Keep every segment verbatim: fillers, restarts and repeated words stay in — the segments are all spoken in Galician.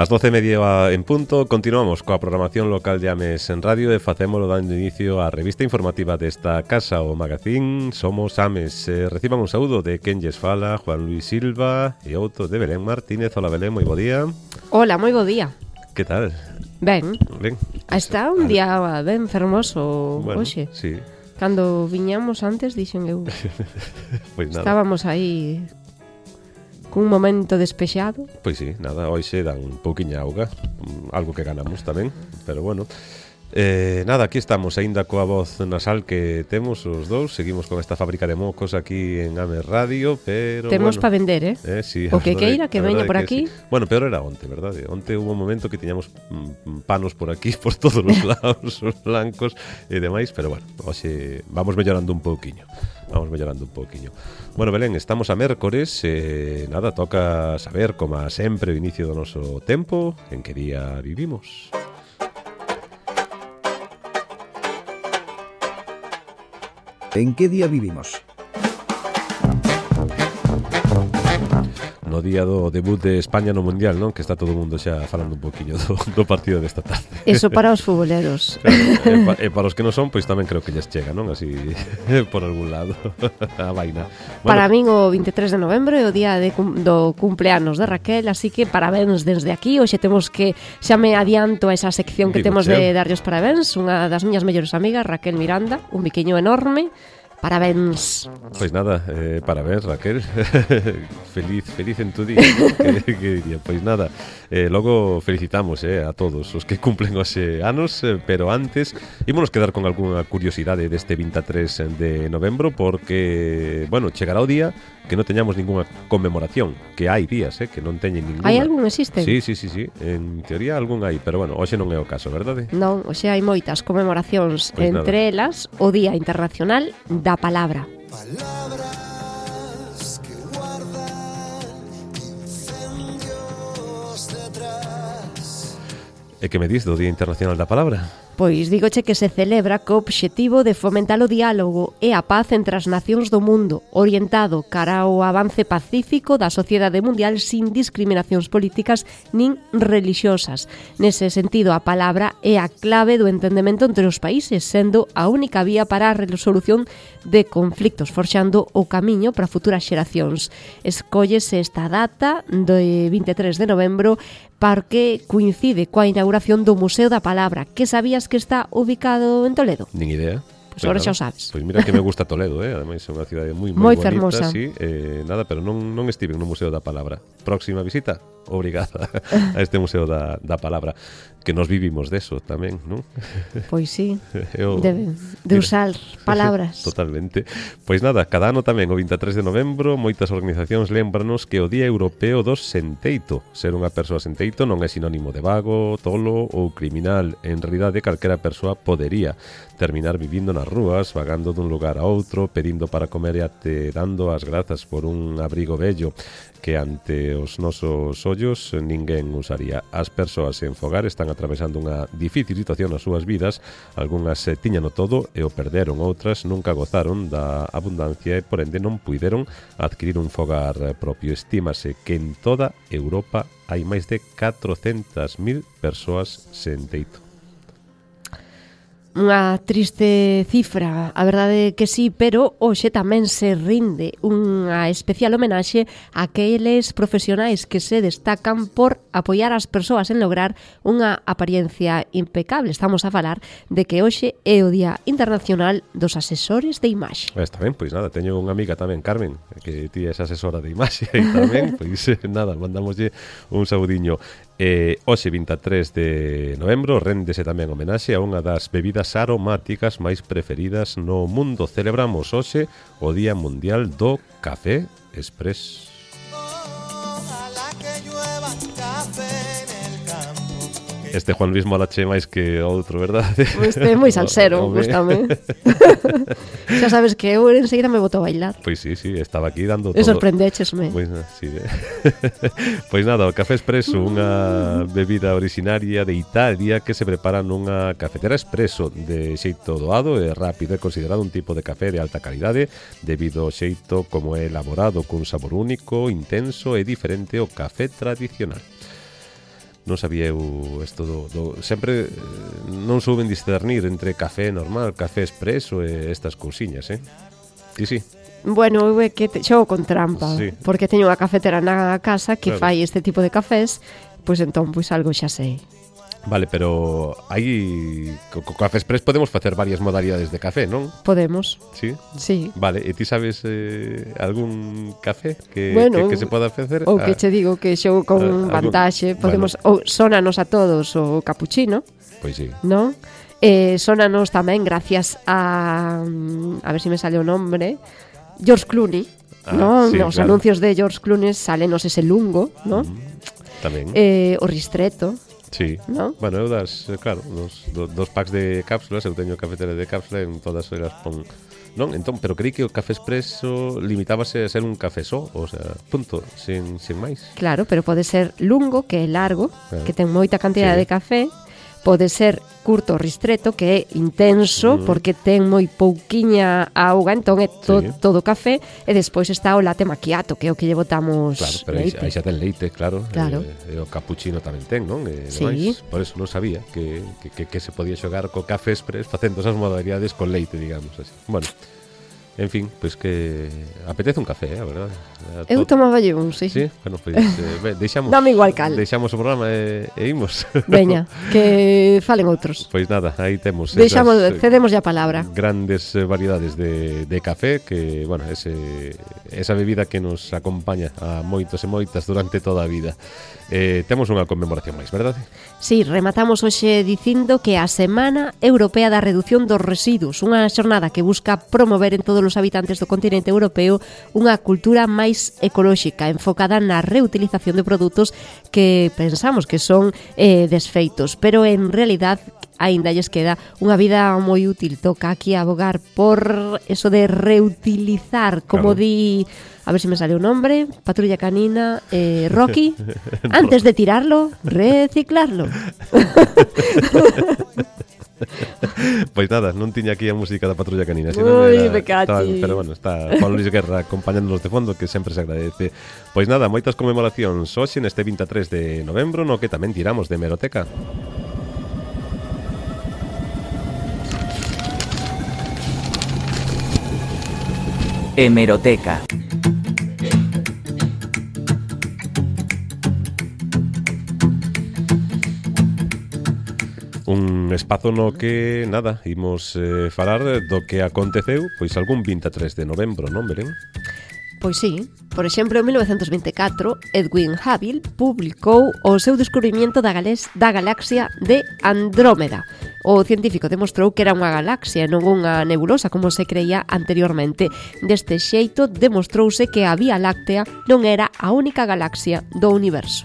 As doce e media en punto, continuamos coa programación local de Ames en Radio e facémolo dando inicio á revista informativa desta casa, o Magazín Somos Ames. Eh, reciban un saúdo de quen lles fala, Juan Luis Silva, e outro de Belén Martínez. Hola Belén, moi bo día. Hola, moi bo día. Que tal? Ben. Ben. Está un día ben fermoso bueno, hoxe. Sí. Cando viñamos antes, dixen eu. Pois nada. Estábamos aí cun momento despexado. Pois sí, nada, hoxe dan un pouquiña auga, algo que ganamos tamén, pero bueno. Eh, nada, aquí estamos, aínda coa voz nasal que temos os dous. Seguimos con esta fábrica de mocos aquí en Ames Radio, pero temos bueno, para vender, eh? eh sí, o que queira que veña por aquí. Sí. Bueno, peor era onte, verdade? Onte hubo un momento que tiñamos mm, panos por aquí, por todos os lados, os blancos e demais, pero bueno, hoxe vamos mellorando un pouquiño. Vamos mellorando un pouquiño. Bueno, Belén, estamos a mércores, eh, nada, toca saber, como sempre, o inicio do noso tempo, en que día vivimos. En que día vivimos? No día do debut de España no Mundial, non? Que está todo o mundo xa falando un poquinho do, do partido desta tarde. Eso para os futboleros. Claro, e, pa, e para os que non son, pois tamén creo que lles chega, non? Así, por algún lado, a vaina. Bueno, para min o vinte e tres de novembro é o día de, do cumpleanos de Raquel, así que parabéns desde aquí. Hoxe temos que, xa me adianto a esa sección que Digo, temos cheo. de darlle os parabéns. Unha das miñas mellores amigas, Raquel Miranda, un biquiño enorme. Parabéns. Pois nada, eh, parabéns, Raquel. feliz, feliz en tu día, ¿no? que, que diría. Pois nada, eh, logo felicitamos eh, a todos os que cumplen hoxe anos, eh, pero antes ímonos quedar con algunha curiosidade deste vinte e tres de novembro, porque, bueno, chegará o día que non teñamos ninguna conmemoración, que hai días, eh, que non teñen ninguna. Hai algún existen? Sí, sí, sí, sí, en teoría algún hai, pero bueno, hoxe non é o caso, verdade? Non, hoxe hai moitas conmemoracións, Pois entre nada. elas o Día Internacional da Palabra. Palabras que guardan incendios detrás. E que me dis do Día Internacional da Palabra? Pois dígoche que se celebra co obxectivo de fomentar o diálogo e a paz entre as nacións do mundo, orientado cara ao avance pacífico da sociedade mundial sin discriminacións políticas nin religiosas. Nese sentido, a palabra é a clave do entendemento entre os países, sendo a única vía para a resolución de conflictos, forxando o camiño para futuras xeracións. Escóllese esta data de vinte e tres de novembro porque coincide coa inauguración do Museo da Palabra, que sabías que está ubicado en Toledo. Nin idea. Pois agora xa o sabes. Pois mira que me gusta Toledo, eh? Ademais é unha cidade moi Moi moi bonita, fermosa. sí, eh, nada, pero non non estive no Museo da Palabra. Próxima visita, obrigada a este Museo da, da Palabra, que nos vivimos deso tamén, non? Pois sí, Eu, de, de usar palabras. Totalmente. Pois nada, cada ano tamén, o vinte e tres de novembro, moitas organizacións lembranos que o Día Europeo do Senteito. Ser unha persoa senteito non é sinónimo de vago, tolo ou criminal. En realidade, calquera persoa podería terminar vivindo nas rúas, vagando dun lugar a outro, pedindo para comer e até dando as grazas por un abrigo bello que ante os nosos ollos ninguén usaría. As persoas en fogar están atravesando unha difícil situación nas súas vidas. Algúnas eh, tiñano todo e o perderon, outras nunca gozaron da abundancia e por ende non puideron adquirir un fogar propio. Estímase que en toda Europa hai máis de catrocentas mil persoas sen teito. Unha triste cifra, a verdade que sí, pero hoxe tamén se rinde unha especial homenaxe a aqueles profesionais que se destacan por apoiar as persoas en lograr unha apariencia impecable. Estamos a falar de que hoxe é o Día Internacional dos Asesores de Imaxe. Está ben, pois nada, teño unha amiga tamén, Carmen, que ti é esa asesora de imaxe e tamén, pois nada, mandamoslle un saudiño. Eh, hoxe vinte e tres de novembro réndese tamén homenaxe a unha das bebidas aromáticas máis preferidas no mundo. Celebramos hoxe o Día Mundial do Café Express. Ojalá que llueva café en el campo. Este Juan Luis molache máis que outro, verdade? Este é moi salsero, Home. gústame. Xa sabes que eu enseguida me boto a bailar. Pois sí, sí, estaba aquí dando E todo. sorprendéchesme. Pois, sí, eh. Pois nada, o café expreso, unha bebida originaria de Italia que se prepara nunha cafetera expreso de xeito doado e rápido. É considerado un tipo de café de alta calidade debido ao xeito como é elaborado, cun sabor único, intenso e diferente ao café tradicional. Non sabía eu isto do, do... Sempre eh, non souben discernir entre café normal, café expreso e estas cousiñas, eh? Sí, sí. Bueno, eu é que te, xogo con trampa, Sí. porque teño unha cafetera na casa que Claro. fai este tipo de cafés, pois entón, pois algo xa sei. Vale, pero hai... Co, co Café Express podemos facer varias modalidades de café, non? Podemos, Sí? sí. Vale, e ti sabes eh, algún café que, Bueno, que, que se poda facer? Ou Ah, que che digo que xogo con Ah, algún- vantaxe, podemos, ou sonanos a todos o capuchino, Pois sí. non? Eh, sonanos tamén gracias a a ver se me sale o nombre, George Clooney, Ah, non? sí, Nos claro. anuncios de George Clooney salenos ese lungo, non? Tamén. Eh, o ristretto, Sí. non? Bueno, eu das, eh, claro, dos, do, dos packs de cápsulas, eu teño cafetera de cápsula en todas elas pon... Non, entón, pero creí que o café expreso limitábase a ser un café só, o sea, punto, sin, sin máis. Claro, pero pode ser lungo, que é largo, Claro. que ten moita cantidade Sí. de café, pode ser curto, ristreto, que é intenso, Mm. porque ten moi pouquiña auga, entón é to, Sí. todo café, e despois está o latte macchiato, que é o que lle botamos Claro, pero aí, leite. aí xa ten leite, claro. Claro. E, e o cappuccino tamén ten, non? E Sí. demais. Por eso non sabía que, que, que, que se podía xogar co café express facendo esas modalidades con leite, digamos así. Bueno, en fin, pois pues que apetece un café, eh, a verdade. A Eu to- tomaballe un, sí. Sí, bueno, pois pues, eh, ve, deixamos Dame igual cal. Deixamos o programa e, e imos. Veña, que falen outros. Pois nada, aí temos Deixamos, esas, eh, cedemos a palabra. grandes eh, variedades de, de café que, bueno, ese, esa bebida que nos acompaña a moitos e moitas durante toda a vida. Eh, temos unha conmemoración máis, verdade? Sí, rematamos hoxe dicindo que a Semana Europea da Reducción dos Residuos, unha xornada que busca promover en todos os habitantes do continente europeo unha cultura máis ecolóxica, enfocada na reutilización de produtos que pensamos que son eh, desfeitos, pero en realidad aínda lles queda unha vida moi útil. Toca aquí abogar por eso de reutilizar, como Claro. di, a ver se me sale o nombre, Patrulla Canina, eh, Rocky, antes de tirarlo, reciclarlo. Pois nada, non tiña aquí a música da Patrulla Canina, Ui, senón era- me cachi. estaba- pero bueno, está Pablo Luis Guerra acompañándonos de fondo, que sempre se agradece. Pois nada, moitas conmemoracións hoxe neste vinte e tres de novembro, no que tamén tiramos de hemeroteca. Hemeroteca. Un espazo no que, nada, imos eh, falar do que aconteceu pois algún vinte e tres de novembro, non, Belén? Pois sí, por exemplo, en mil novecentos vinte e catro, Edwin Hubble publicou o seu descubrimento da, galés, da galaxia de Andrómeda. O científico demostrou que era unha galaxia, non unha nebulosa, como se creía anteriormente. Deste xeito, demostrouse que a Vía Láctea non era a única galaxia do universo.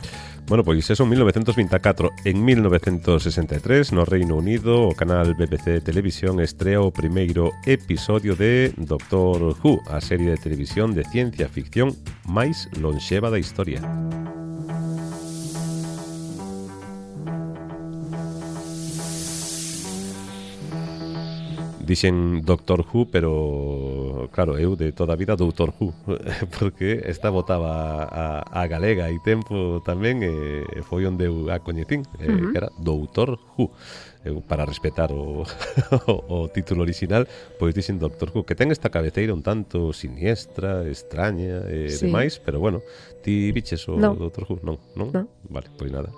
Bueno, pois eso en mil novecentos vinte e catro. En mil novecentos sesenta e tres, no Reino Unido, o canal B B C Televisión estrea o primeiro episodio de Doctor Who, a serie de televisión de ciencia ficción máis lonxeva da historia. Dixen Doctor Who, pero claro, eu de toda a vida Doutor Who, porque esta botaba a, a galega hai tempo tamén, e foi onde eu a coñecín, eh, Ujú. que era Doutor Who. Eu, para respetar o, o, o título original, pois dixen Doctor Who, que ten esta cabeceira un tanto siniestra, extraña e Sí. demais, pero bueno, ti biches o No. Doctor Who? Non, non? No. Vale, pois nada.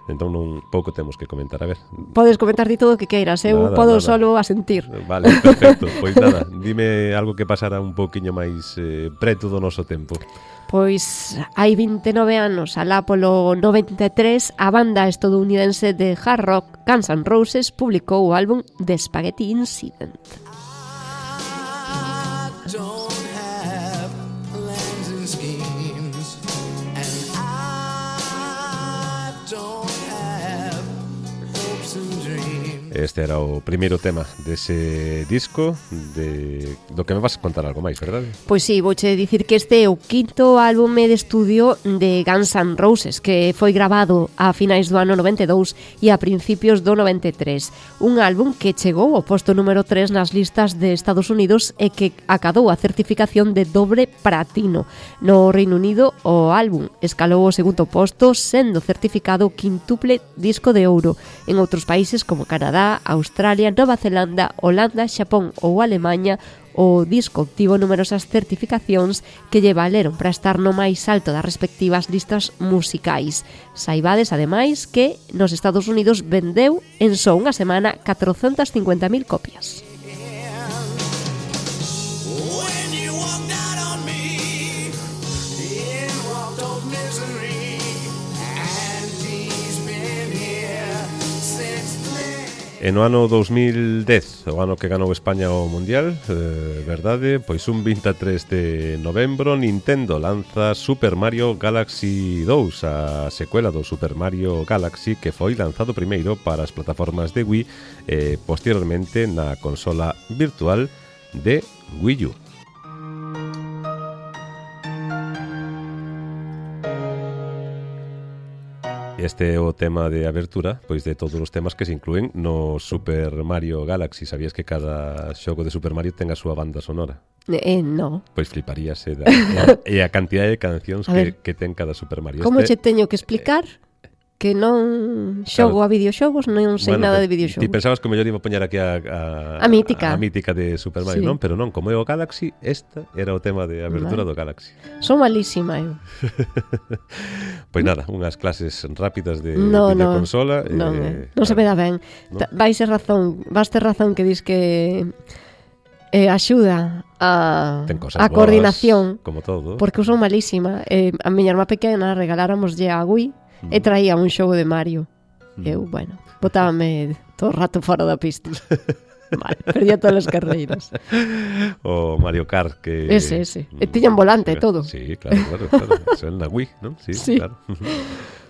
Entón non pouco temos que comentar, a ver. Podes comentar di todo o que queiras, eu Nada, podo nada. solo asentir. Vale, perfecto. Pois nada, dime algo que pasara un poquinho máis eh, preto do noso tempo. Pois hai vinte e nove anos, alá polo noventa e tres, a banda estadounidense de hard rock Guns N' Roses publicou o álbum The Spaghetti Incident. I don't have plans and schemes, and I don't have hopes and dreams. E este era o primeiro tema dese disco de... do que me vas a contar algo máis, verdade? Pois sí, vouche dicir que este é o quinto álbume de estudio de Guns N' Roses, que foi grabado a finais do ano noventa e dous e a principios do noventa e tres. Un álbum que chegou ao posto número tres nas listas de Estados Unidos e que acadou a certificación de dobre platino. No Reino Unido, o álbum escalou o segundo posto, sendo certificado quintuple disco de ouro. En outros países como Canadá, Australia, Nova Zelanda, Holanda, Xapón ou Alemanha, o disco obtivo numerosas certificacións que lle valeron para estar no máis alto das respectivas listas musicais. Saibades, ademais, que nos Estados Unidos vendeu en só unha semana catrocentas cincuenta mil copias. E no ano dous mil dez, o ano que ganou España o Mundial, eh, verdade, pois un vinte e tres de novembro Nintendo lanza Super Mario Galaxy dous, a secuela do Super Mario Galaxy que foi lanzado primeiro para as plataformas de Wii e posteriormente na consola virtual de Wii U. Este é o tema de abertura, pois de todos os temas que se inclúen no Super Mario Galaxy. Sabías que cada xogo de Super Mario ten a súa banda sonora? Eh, no. Pois fliparíase da, e, a, e a cantidade de cancións que, que ten cada Super Mario. Como este, che teño que explicar? Que non xogo claro. a videoxogos, non sei bueno, nada de videoxogos. Ti pensabas que o mellor iba a poñer aquí a, a, a mítica. A mítica de Super Mario, sí. Non? Pero non, como é o Galaxy, esta era o tema de abertura vale. do Galaxy. Son malísima, eu. Pois nada, unhas clases rápidas de no, videoconsola. No, eh, non se me dá ben. No. Vais ter razón, vas ter razón que dis que eh, axuda a, a coordinación. Como todo. Porque eu son malísima. Eh, a miña irmá pequena regaláramos a Wii mm. e traía un xogo de Mario. Mm. Eu, bueno, botábame todo o rato fora da pista. Vale, perdía todas as carreiras. O Mario Kart que... Ese, ese. E tiñan volante e todo. Sí, claro, claro, claro. Eso é na Wii, non? Sí, sí. Claro.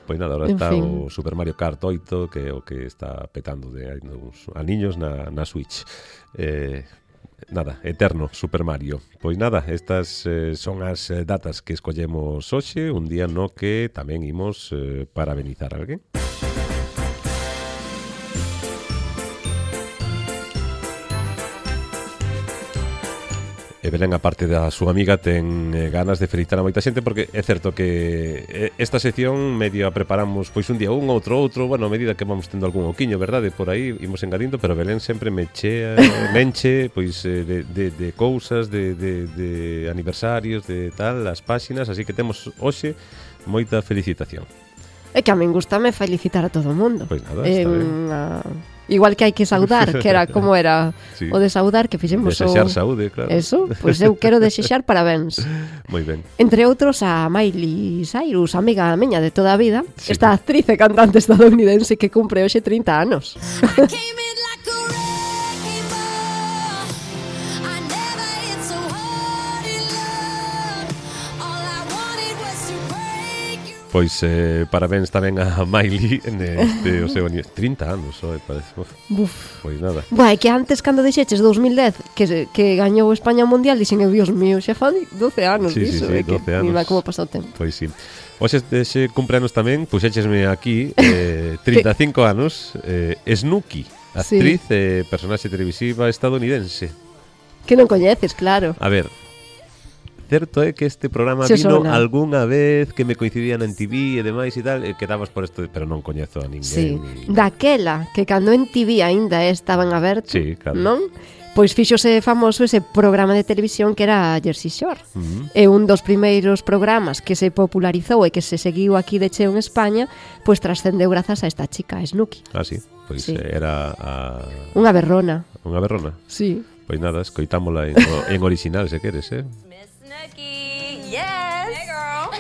Pois nada, ahora en está fin. o Super Mario Kart oito, que é o que está petando de a niños na, na Switch. Eh, nada, eterno Super Mario. Pois nada, estas eh, son as datas que escollemos hoxe, un día no que tamén imos eh, parabenizar a alguén. E Belén, a parte da súa amiga, ten eh, ganas de felicitar a moita xente, porque é certo que esta sección medio a preparamos pois un día un, outro outro, bueno, a medida que vamos tendo algún oquiño, verdade, por aí imos engadindo, pero Belén sempre me chea, menche pois eh, de, de, de cousas, de, de, de aniversarios, de tal, as páxinas, así que temos hoxe moita felicitación. É que a min gustame felicitar a todo o mundo. Pois nada, eh, está ben. A... Igual que hai que saudar, que era como era sí. o de saudar, que fixemos desexar o... saúde, claro. Eso, pois pues eu quero desexar parabéns. Moi ben. Entre outros a Miley Cyrus, amiga miña de toda a vida, sí. esta actriz e cantante estadounidense que cumpre hoxe trinta anos. Pois eh, parabéns tamén a Miley neste o seu aniversario. trinta anos, oi, parece. Uf. Buf. Pois nada. Buah, é que antes cando dixeches dous mil dez que, que gañou España o Mundial, dixen, eu, Dios mío, xa fan doce anos sí, diso. Sí, sí, doce que, anos. Mira como pasa o tempo. Pois sí. Hoxe dese cumpleanos tamén, puxéchesme aquí eh, trinta e cinco anos, eh, Snooki, actriz e sí. eh, personaxe televisiva estadounidense. Que non coñeces, claro. A ver, certo é que este programa Se vino sona. algunha vez que me coincidían en T V e demais e tal, e quedabas por isto, pero non coñezo a ninguén. Sí, ni... daquela que cando en T V aínda estaban abertos, sí, claro. Non? Pois fíxose famoso ese programa de televisión que era Jersey Shore. Uh-huh. É un dos primeiros programas que se popularizou e que se seguiu aquí de cheo en España, pois trascendeu grazas a esta chica, Snooki. Ah, sí, pois sí. era a... Unha berrona. Unha berrona? Sí. Pois nada, escoitámola en, en original, se queres, eh? Miss Snooki, yes! Hey, girl!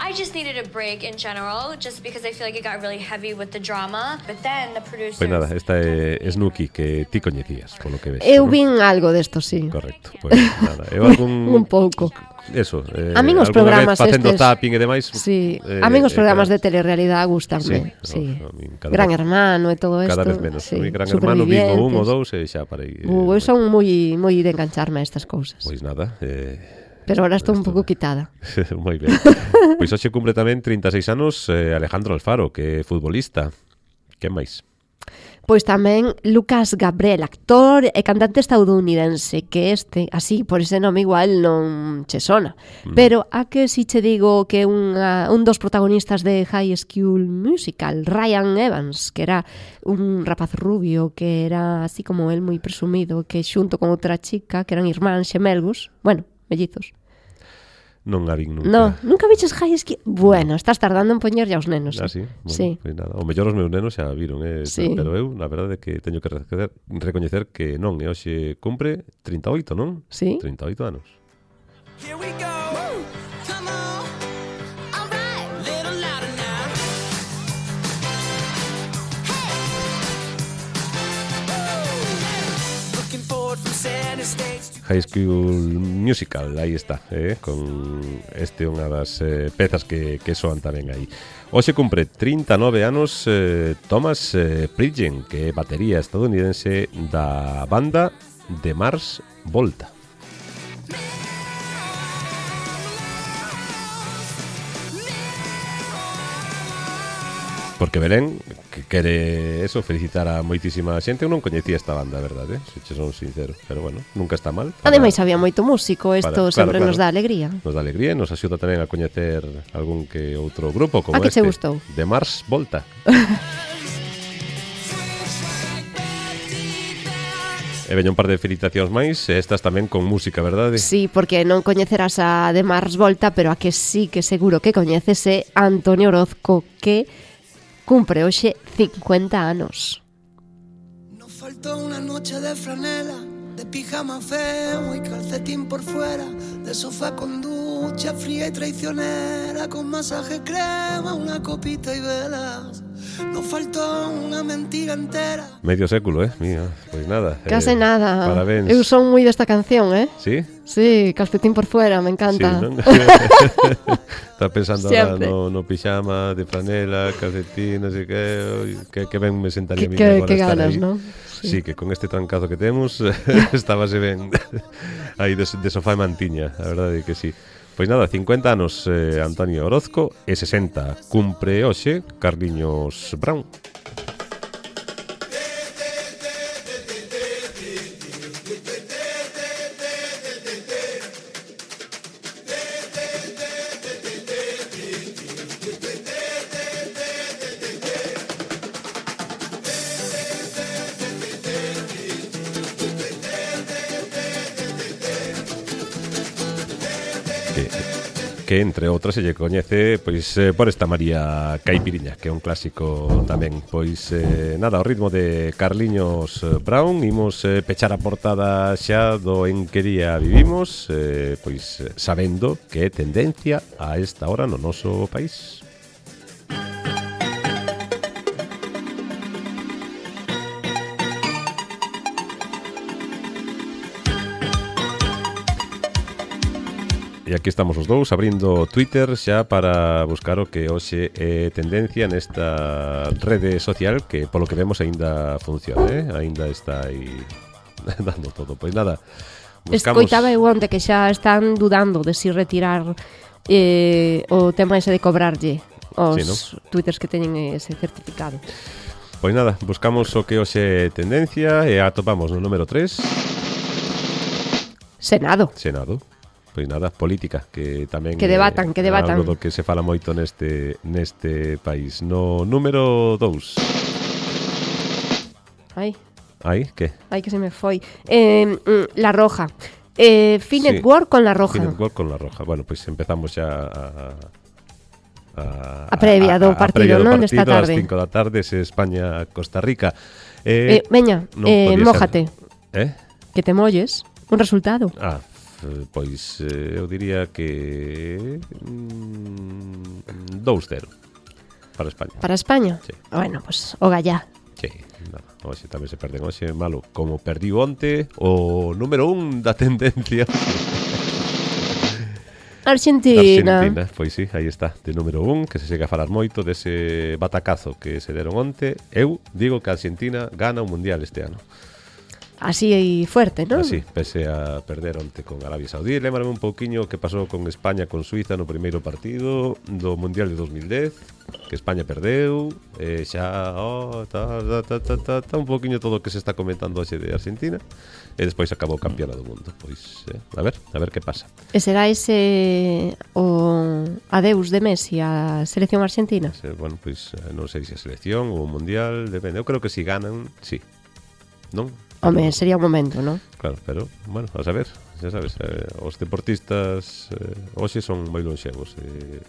I I just needed a break in general, just because I feel like it got really heavy with the drama. But then the producers... Pois nada, esta é Snooki, que ti coñecías, polo que ves. Eu ¿no? vin algo desto, sí. Correcto, pois nada. Eu algún... Un pouco. Eso, eh, a min os programas facendo estes... tapping e demais... Sí, eh, a min os programas eh, de telerrealidade gustanme. Sí, Sí. no, a min cada Gran vez- Hermano e todo isto. Cada vez menos. Sí. A mí Gran Hermano vivo un ou Supervivientes. dous e xa parei. eh, Uh, eu son moi moi de engancharme a estas cousas. Pois nada, eh... Pero ahora estou un pouco quitada. moi ben. Pois hoxe cumpre tamén trinta e seis anos eh, Alejandro Alfaro, que é futbolista. Que máis? Pois tamén Lucas Gabriel, actor e cantante estadounidense, que este, así, por ese nome igual non che sona. Mm. Pero a que si che digo que unha, un dos protagonistas de High School Musical, Ryan Evans, que era un rapaz rubio, que era así como el moi presumido, que xunto con outra chica, que eran irmáns xemelgos, bueno, mellizos. Non a vin nunca. No, nunca viches High School? Bueno, estás tardando en poñerlle aos nenos. Ah, eh? sí? Bueno, Sí. Pois nada. O mellor os meus nenos xa viron, eh? Sí. Pero eu, na verdade, que teño que recoñecer, recoñecer que non, e hoxe cumpre trinta e oito, non? Sí. trinta e oito anos. Here we go. Come on. All right. Little louder now. Hey. Looking forward from center stage to High School Musical, aí está, eh? Con este unha das eh, pezas que, que soan tamén aí. Hoxe cumpre trinta e nove anos eh, Thomas eh, Pridgen, que é batería estadounidense da banda de Mars Volta. Porque Belén que quere eso, felicitar a moitísima xente. Eu non coñecía esta banda, a verdade, se che son sincero. Pero bueno, nunca está mal. para- Ademais había moito músico, isto Para- claro, sempre claro. nos dá alegría. Nos dá alegría e nos axuda tamén a coñecer algún que outro grupo como A que este che gustou? de Mars Volta. E veño un par de felicitacións máis, e estas tamén con música, verdade? Sí, porque non coñecerás a de Mars Volta, pero a que sí que seguro que coñeces é Antonio Orozco, que cumpre hoxe cincuenta anos. Nos faltó una noche de franela, de pijama feo y calcetín por fuera, de sofá con ducha fría y traicionera, con masaje crema, una copita y velas. Nos faltó unha mentira entera. Medio século, eh? Mira, pois nada. Case eh, nada. Parabéns. Eu son moi desta canción, eh? Sí? Sí, calcetín por fuera, me encanta. Sí, non? Está pensando ahora Siempre. no, no pijama, de franela, calcetín, non sei que, que, que ben me sentaría a Que, mí que, agora que estar ganas, aí. non? Sí, que con este trancazo que temos estábase ben aí de, de sofá e mantiña, a verdade é que sí. Pois nada, cincuenta anos eh, Antonio Orozco e sesenta cumpre hoxe Carliños Brown. Que, que entre outras se lle coñece pois eh, por esta María Caipiriña, que é un clásico tamén. Pois eh, nada, ao ritmo de Carliños Brown imos eh, pechar a portada xa do En que día vivimos, eh, pois eh, sabendo que é tendencia a esta hora no noso país. E aquí estamos os dous abrindo Twitter xa para buscar o que hoxe é tendencia nesta rede social que polo que vemos aínda funciona, eh? Aínda está aí dando todo. Pois nada, buscamos... Escoitaba eu onte que xa están dudando de si retirar eh, o tema ese de cobrarlle os Sí, ¿no? twitters que teñen ese certificado. Pois nada, buscamos o que hoxe é tendencia e atopamos no número tres Senado. Senado. Pois nada, política, que tamén Que debatan, é que debatan. algo do que se fala moito neste neste país. No número dous. Ai, Aí, que? ai que se me foi. Eh, mm, La Roja. Eh, Sí. Finetwork con La Roja. Finetwork con La Roja. Bueno, pois empezamos xa a... A, A previa do partido, previa do non? Desta partido, tarde. Ás cinco da tarde, se España-Costa Rica. Eh, Eh, veña, non eh, podía ser. mójate. Eh? Que te molles. Un resultado. Ah, pois eh, eu diría que mm, dous cero para España. Para España? Sí. Bueno, pues o gallá. Sí, nada, hoxe tamén se perden hoxe, malo, como perdiu onte o número un da tendencia. Argentina. Argentina, pois sí, aí está, de número un, que se segue a falar moito dese batacazo que se deron onte. Eu digo que a Argentina gana o Mundial este ano. Así fuerte, non? Así, pese a perder onte con Arabia Saudí. Lémbrame un pouquiño que pasou con España con Suiza no primeiro partido do Mundial de dos mil dez, que España perdeu, e xa, oh, ta, ta, ta, ta, ta, ta, un pouquiño todo o que se está comentando hoxe de Argentina, e despois acabou campeona do mundo. Pois, eh, a ver, a ver que pasa. E será ese o adeus de Messi á selección argentina? Se, bueno, pois, non sei se a selección ou o Mundial, depende. Eu creo que si ganan, sí. Non? Home, sería un momento, non? Claro, pero, bueno, a saber, xa sabes, eh, os deportistas eh, hoxe son moi lonxevos. Eh,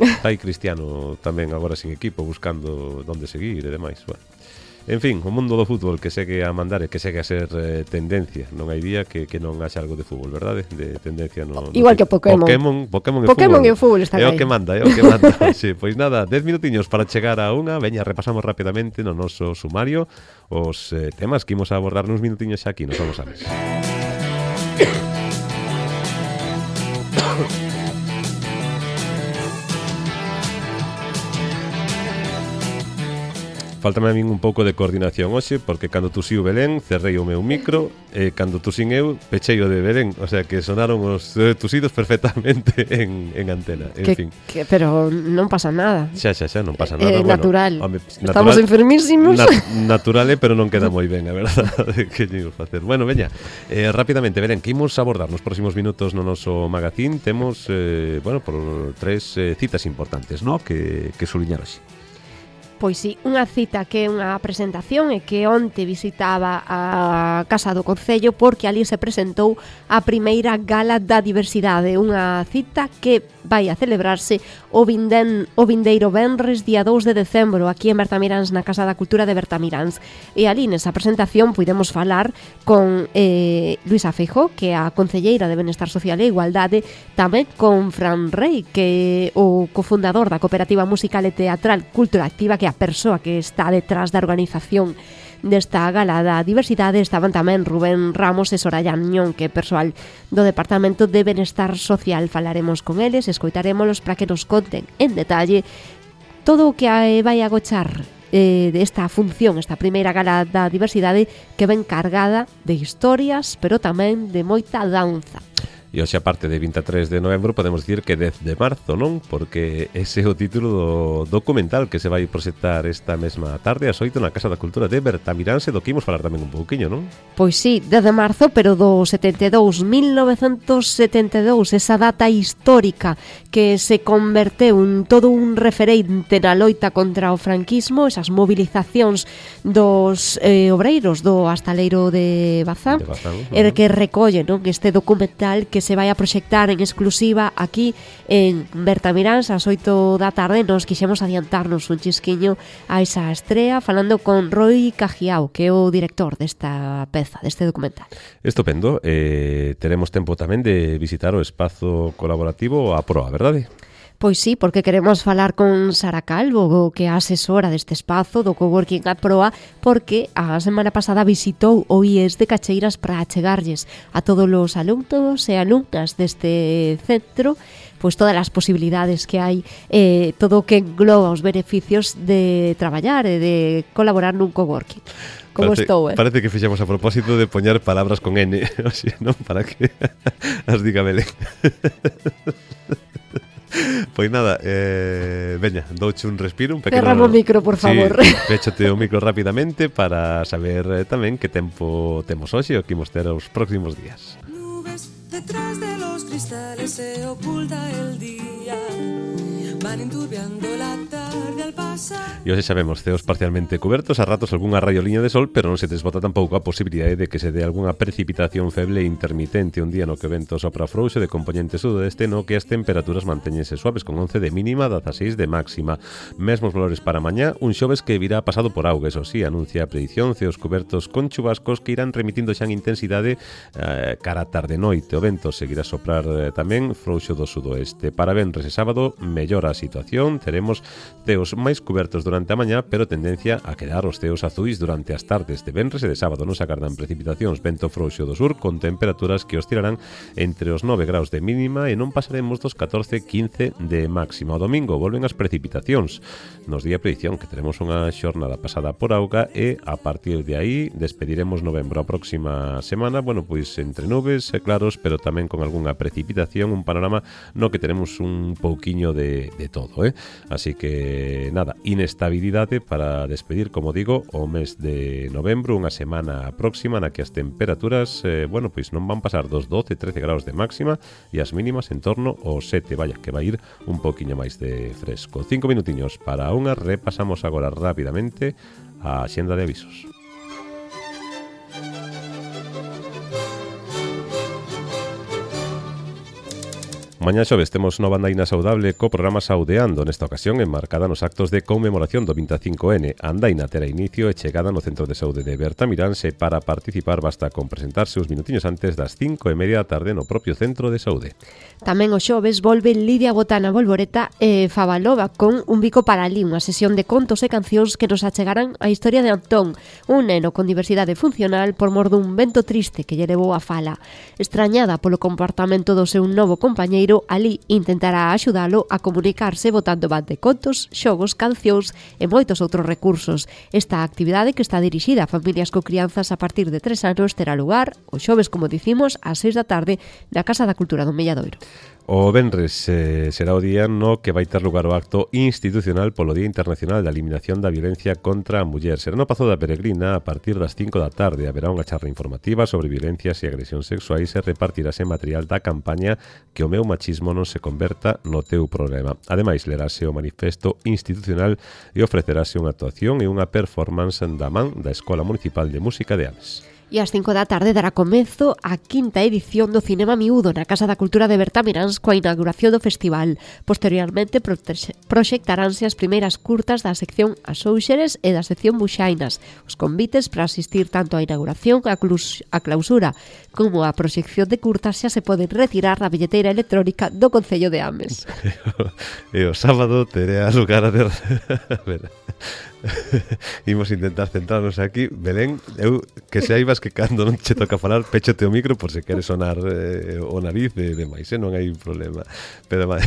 está aí Cristiano tamén agora sin equipo buscando onde seguir e demais. Bueno, en fin, o mundo do fútbol que segue a mandar e que segue a ser eh, tendencia. Non hai día que, que non haxa algo de fútbol, verdade? De tendencia no, no igual que Pokémon. Pokémon, Pokémon e Pokémon fútbol. e fútbol están é o aí. que manda, é o que manda. Sí, pois nada, dez minutiños para chegar a unha. Veña, repasamos rapidamente no noso sumario os eh, temas que imos a abordar nuns minutiños xa aquí, nos vamos a ver. Faltame a min un pouco de coordinación hoxe, porque cando tusiu Belén cerrei o meu micro e cando tusín eu pechei o de Belén, o sea que sonaron os eh, tusidos perfectamente en, en antena, en que, fin. Que, pero non pasa nada. Xa, xa, xa, non pasa É nada. bueno, natural. Home, Estamos enfermísimos. Nat natural é, pero non queda moi ben, a verdade, que lle imos facer. Bueno, veña, eh, rapidamente, Belén, que imos abordar nos próximos minutos no noso magazín. Temos, eh, bueno, por tres eh, citas importantes, ¿no?, que, que suliñar hoxe. Pois sí, unha cita que é unha presentación e que onte visitaba a Casa do Concello porque ali se presentou a primeira Gala da Diversidade, unha cita que vai a celebrarse o, vinden, o vindeiro venres día dous de decembro aquí en Bertamiráns, na Casa da Cultura de Bertamiráns. E ali nesa presentación puidemos falar con eh, Luisa Feijóo, que é a concelleira de Benestar Social e Igualdade, tamén con Fran Rey, que é o cofundador da Cooperativa Musical e Teatral Cultura Activa, que é a persoa que está detrás da organización desta Gala da Diversidade. Estaban tamén Rubén Ramos e Soraya Añón, que é persoal do Departamento de Benestar Social. Falaremos con eles, escoitarémolos para que nos conten en detalle todo o que vai agochar eh, desta función, esta primeira Gala da Diversidade, que ven cargada de historias, pero tamén de moita danza. E hoxe, aparte de vinte e tres de novembro, podemos dicir que dez de marzo, non? Porque ese é o título do documental que se vai proxectar esta mesma tarde ás oito na Casa da Cultura de Bertamiráns, do que imos falar tamén un pouquiño, non? Pois sí, dez de marzo, pero do setenta e dous, mil novecentos setenta e dous, esa data histórica que se converteu en todo un referente na loita contra o franquismo, esas movilizacións dos eh, obreiros do Astaleiro de Bazán, De Bazán, e que recolle, non, este documental que se vai a proxectar en exclusiva aquí en Bertamiráns ás oito da tarde. Nos quixemos adiantarnos un chisquiño a esa estrea falando con Roy Cajiao, que é o director desta peza, deste documental. Estupendo. Eh, teremos tempo tamén de visitar o espazo colaborativo a proa, verdade? Pois sí, porque queremos falar con Sara Calvo, que é a asesora deste espazo do Coworking a Proa, porque a semana pasada visitou o I E S de Cacheiras para achegarlles a todos os alumnos e alumnas deste centro pois todas as posibilidades que hai, eh, todo o que engloba os beneficios de traballar e de colaborar nun coworking. Como parece, estou, eh? Parece que fixemos a propósito de poñer palabras con N, o sea, non? Para que as diga Belén. Pois nada, eh, veña, douche un respiro, un pequeno... Cerramos o micro, por favor. Sí, péchote o micro rapidamente para saber eh, tamén que tempo temos hoxe e o que imos ter os próximos días. Nubes detrás de los cristales se oculta el día. van enturbiando la tarde al pasar. E hoxe xa vemos ceos parcialmente cubertos, a ratos algunha raioliña de sol, pero non se desbota tampouco a posibilidade de que se dé algunha precipitación feble e intermitente un día no que o vento sopra frouxo de componente sudoeste, no que as temperaturas mantéñense suaves con once de mínima, dezaseis de máxima. Mesmos valores para mañá, un xoves que virá pasado por auga, eso sí, anuncia a predición, ceos cubertos con chubascos que irán remitindo xa en intensidade eh, cara a tarde noite. O vento seguirá a soprar eh, tamén frouxo do sudoeste. Para venres e sábado, mellora a situación, teremos ceos máis cubertos durante a mañá, pero tendencia a quedar os ceos azuis durante as tardes de venres e de sábado. Non se agardan precipitacións, vento frouxo do sur con temperaturas que oscilarán entre os nove graus de mínima e non pasaremos dos catorce quince de máxima. O domingo volven as precipitacións. Nos di a predición que teremos unha xornada pasada por auga e a partir de aí despediremos novembro. A próxima semana, bueno, pois entre nubes e claros, pero tamén con algunha precipitación, un panorama no que teremos un pouquiño de, de todo, eh? Así que nada, inestabilidade para despedir, como digo, o mes de novembro, unha semana próxima na que as temperaturas, eh, bueno, pois non van pasar dos doce, trece graus de máxima e as mínimas en torno aos sete, vaya, que vai ir un pouquiño máis de fresco. Cinco minutiños para unha, repasamos agora rapidamente a axenda de avisos. Mañá xoves temos nova andaina saudable co programa Saudeando, nesta ocasión enmarcada nos actos de conmemoración do vinte e cinco ene. A andaina terá inicio e chegada no Centro de Saúde de Bertamiráns e para participar basta con presentarse uns minutiños antes das cinco e media da tarde no propio Centro de Saúde. Tamén o xoves volve Lidia Botana Volvoreta e Favalova con Un bico para ali, unha sesión de contos e cancións que nos achegarán a historia de Antón, un neno con diversidade funcional por mor dun vento triste que lle levou a fala. Estrañada polo comportamento do seu novo compañeiro, ali intentará axudalo a comunicarse botando van de contos, xogos, cancións e moitos outros recursos. Esta actividade, que está dirixida a familias co crianzas a partir de tres anos, terá lugar o xoves, como dicimos, ás seis da tarde na Casa da Cultura do Melladoiro. O venres eh, será o día no que vai ter lugar o acto institucional polo Día Internacional da Eliminación da Violencia contra a Muller. Será no Pazo da Peregrina a partir das cinco da tarde. Haberá unha charla informativa sobre violencias e agresións sexuais e repartirase material da campaña Que o meu machismo non se converta no teu problema. Ademais, lerase o manifesto institucional e ofrecerase unha actuación e unha performance da man da Escola Municipal de Música de Ames. E ás cinco da tarde dará comezo a quinta edición do Cinema Miúdo na Casa da Cultura de Bertamiráns coa inauguración do festival. Posteriormente proxectaránse as primeiras curtas da sección As Ouxeres e da sección Buxainas. Os convites para asistir tanto á inauguración, a clausura como a proxección de curtas xa se poden retirar na billeteira electrónica do Concello de Ames. E o sábado terá lugar a ter... Imos intentar centrarnos aquí. Belén, eu que saibas que cando non che toca falar, péchote o micro por se queres sonar eh, o nariz e demais, eh? Non hai problema. Pero vai,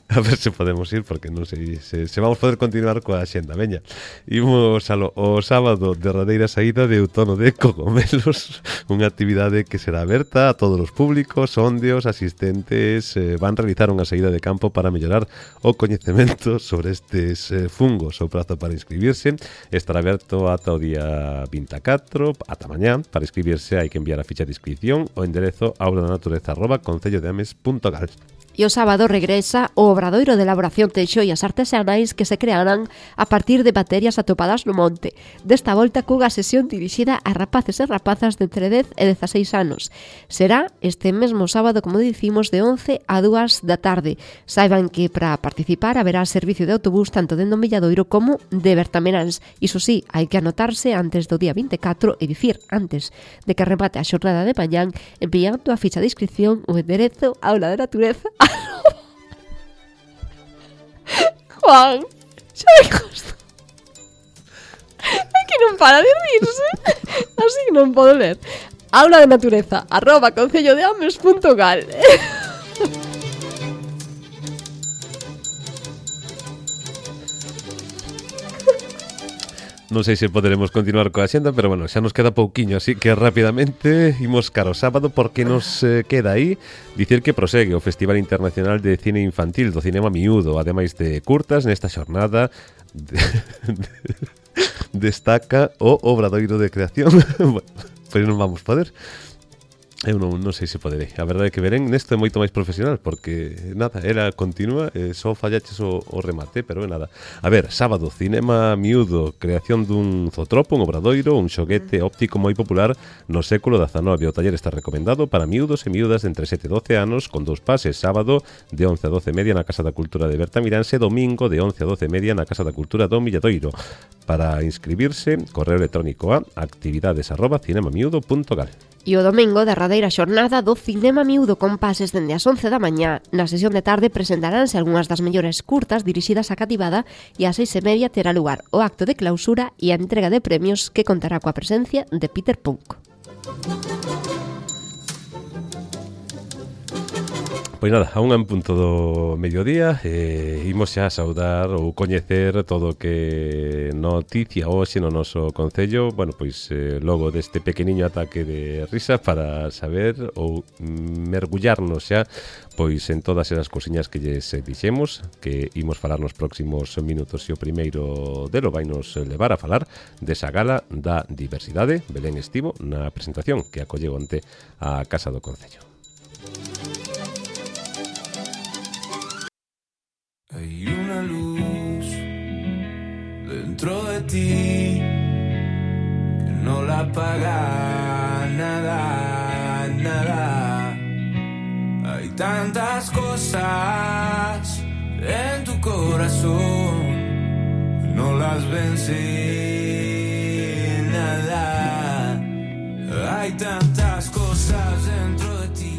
a ver se podemos ir, porque non sei se, se vamos poder continuar coa xenda. Veña, imos alo, o sábado, derradeira saída de outono de cogomelos, unha actividade que será aberta a todos os públicos, onde os asistentes eh, van realizar unha saída de campo para mellorar o coñecemento sobre estes eh, fungos. O prazo para inscribirse estará aberto ata o día vinte e catro, ata mañá. Para inscribirse hai que enviar a ficha de inscripción ao enderezo aula da natureza arroba concello de ames punto gal. E o sábado regresa o obradoiro de elaboración de xoias artesanais que se crearán a partir de baterias atopadas no monte. Desta volta cunha sesión dirixida a rapaces e rapazas de entre dez e dezaseis anos. Será este mesmo sábado, como dicimos, de once a dúas da tarde. Saiban que para participar haberá servicio de autobús tanto dentro do Milladoiro como de Bertamiráns. Iso sí, hai que anotarse antes do día vinte e catro, e dicir antes de que remate a xornada de mañán, enviando a ficha de inscripción o enderezo aula de natureza. Juan, xa me costa. É que non para de rirse. Así non podo ler. Aula de natureza arroba concello de ames punto gal. Non sei se poderemos continuar coa xenda, pero bueno, xa nos queda pouquiño, así que rapidamente imos cara ao sábado, porque nos eh, queda aí dicir que prosegue o Festival Internacional de Cine Infantil do Cinema Miúdo. Ademais de curtas, nesta xornada de, de, destaca o obradoiro de creación. Bueno, pois non vamos poder. Eu non, non sei se poderei. A verdade é que Belén nesto é moito máis profesional, porque nada, era continua, eh, só fallaches o, o remate, pero é nada. A ver, sábado, cinema miúdo, creación dun zotropo, un obradoiro, un xoguete óptico moi popular no século dezanove. O taller está recomendado para miúdos e miúdas de entre sete e doce anos, con dous pases, sábado de once a doce e media na Casa da Cultura de Bertamiráns e domingo de once a doce e media na Casa da Cultura do Milladoiro. Para inscribirse, correo electrónico a actividades arroba cinemamiúdo punto gal. E o domingo, derradeira xornada do Cinema Miúdo con pases dende as once da mañá. Na sesión de tarde presentaránse algunhas das mellores curtas dirixidas á cativada e ás seis e media terá lugar o acto de clausura e a entrega de premios que contará coa presencia de Peter Punk. Pois nada, a unha en punto do mediodía eh, imos xa saudar ou coñecer todo o que noticia hoxe no noso concello. Bueno, pois eh, logo deste pequeniño ataque de risa para saber ou mergullarnos xa pois en todas esas cosiñas que lles dixemos que imos falar nos próximos minutos. E o primeiro delo vai nos levar a falar desa gala da diversidade. Belén estivo na presentación que acolleu onte a Casa do Concello. Hay una luz dentro de ti que no la apaga nada, nada. Hay tantas cosas en tu corazón que no las vence nada. Hay tantas cosas dentro de ti.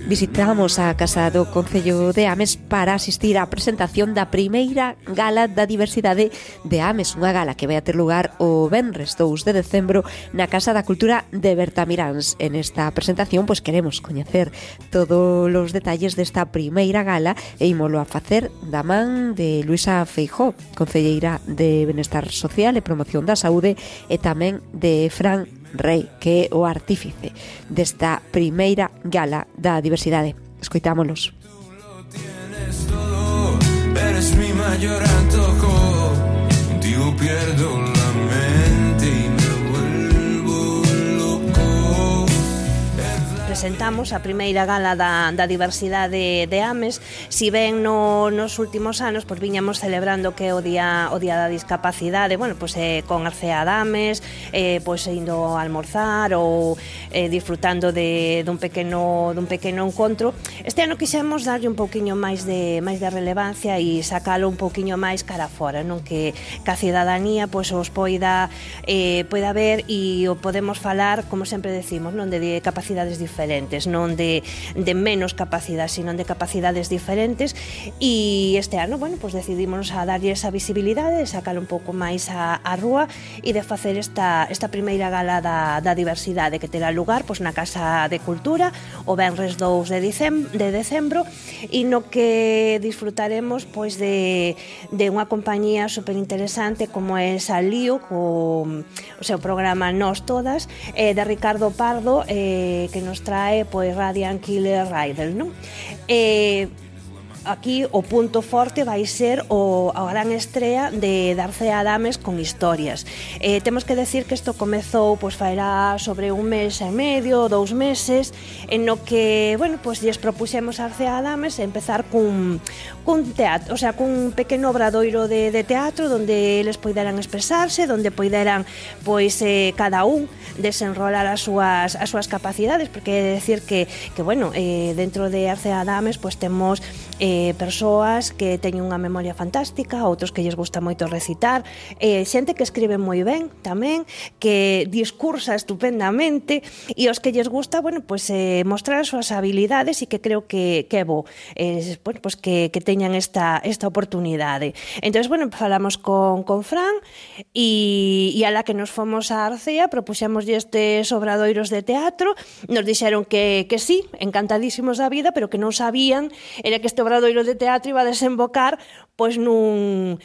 Visitamos a Casa do Concello de Ames para asistir á presentación da primeira Gala da Diversidade de Ames, unha gala que vai a ter lugar o venres dous de decembro na Casa da Cultura de Bertamiráns. En esta presentación pois queremos coñecer todos os detalles desta primeira gala e ímolo a facer da man de Luisa Feijóo, concelleira de Benestar Social e Promoción da Saúde, e tamén de Fran Rei, que é o artífice desta primeira gala da diversidade. Escoitámonos. Tienes todo, eres mi mayor antojo. Contigo pierdo la mente y me vuelvo loco. Presentamos a primeira gala da, da diversidade de Ames. Si ben no, nos últimos anos pois viñamos celebrando que o día o día da discapacidade, bueno, pois eh, con Arcea de Ames, eh, pois indo a almorzar ou eh, disfrutando de dun pequeno dun pequeno encontro. Este ano quixemos darlle un pouquiño máis de máis de relevancia e sacalo un pouquiño máis cara fora, non que que a cidadanía pois os poida eh, poida ver e o podemos falar, como sempre decimos, non de, de capacidades diferentes, non de, de menos capacidade, sino de capacidades diferentes. E este ano, bueno, pois decidimos a darlle esa visibilidade, de sacar un pouco máis a, a rúa e de facer esta, esta primeira gala da, da diversidade que terá lugar pois na Casa de Cultura o venres dous de dicembro, de decembro e no que disfrutaremos pois de, de unha compañía super interesante como é Salío, co o seu programa Nós Todas, eh, de Ricardo Pardo, eh, que nos trae pois Radiant Killer Rider, non? Eh, aquí o punto forte vai ser o, a gran estrea de Arcea de Ames con historias. Eh, temos que decir que isto comezou pois faerá sobre un mes e medio, dous meses, en no que, bueno, pois lles propuxemos a Arcea de Ames empezar cun, cun teatro, o sea, cun pequeno obradoiro de, de teatro onde eles poideran expresarse, onde poideran pois eh, cada un desenrolar as súas as súas capacidades, porque é decir que que bueno, eh, dentro de Arcea de Ames pois temos eh, persoas que teñen unha memoria fantástica, outros que lles gusta moito recitar, eh, xente que escribe moi ben tamén, que discursa estupendamente, e os que lles gusta, bueno, pois eh, mostrar as súas habilidades, e que creo que, que é bo eh, bueno, pois que, que teñan esta, esta oportunidade. Entón, bueno, falamos con, con Fran e, e a la que nos fomos a Arcea propuxemos estes obradoiros de teatro, nos dixeron que, que sí, encantadísimos da vida, pero que non sabían era que este obradoiro de teatro iba a desembocar pois nun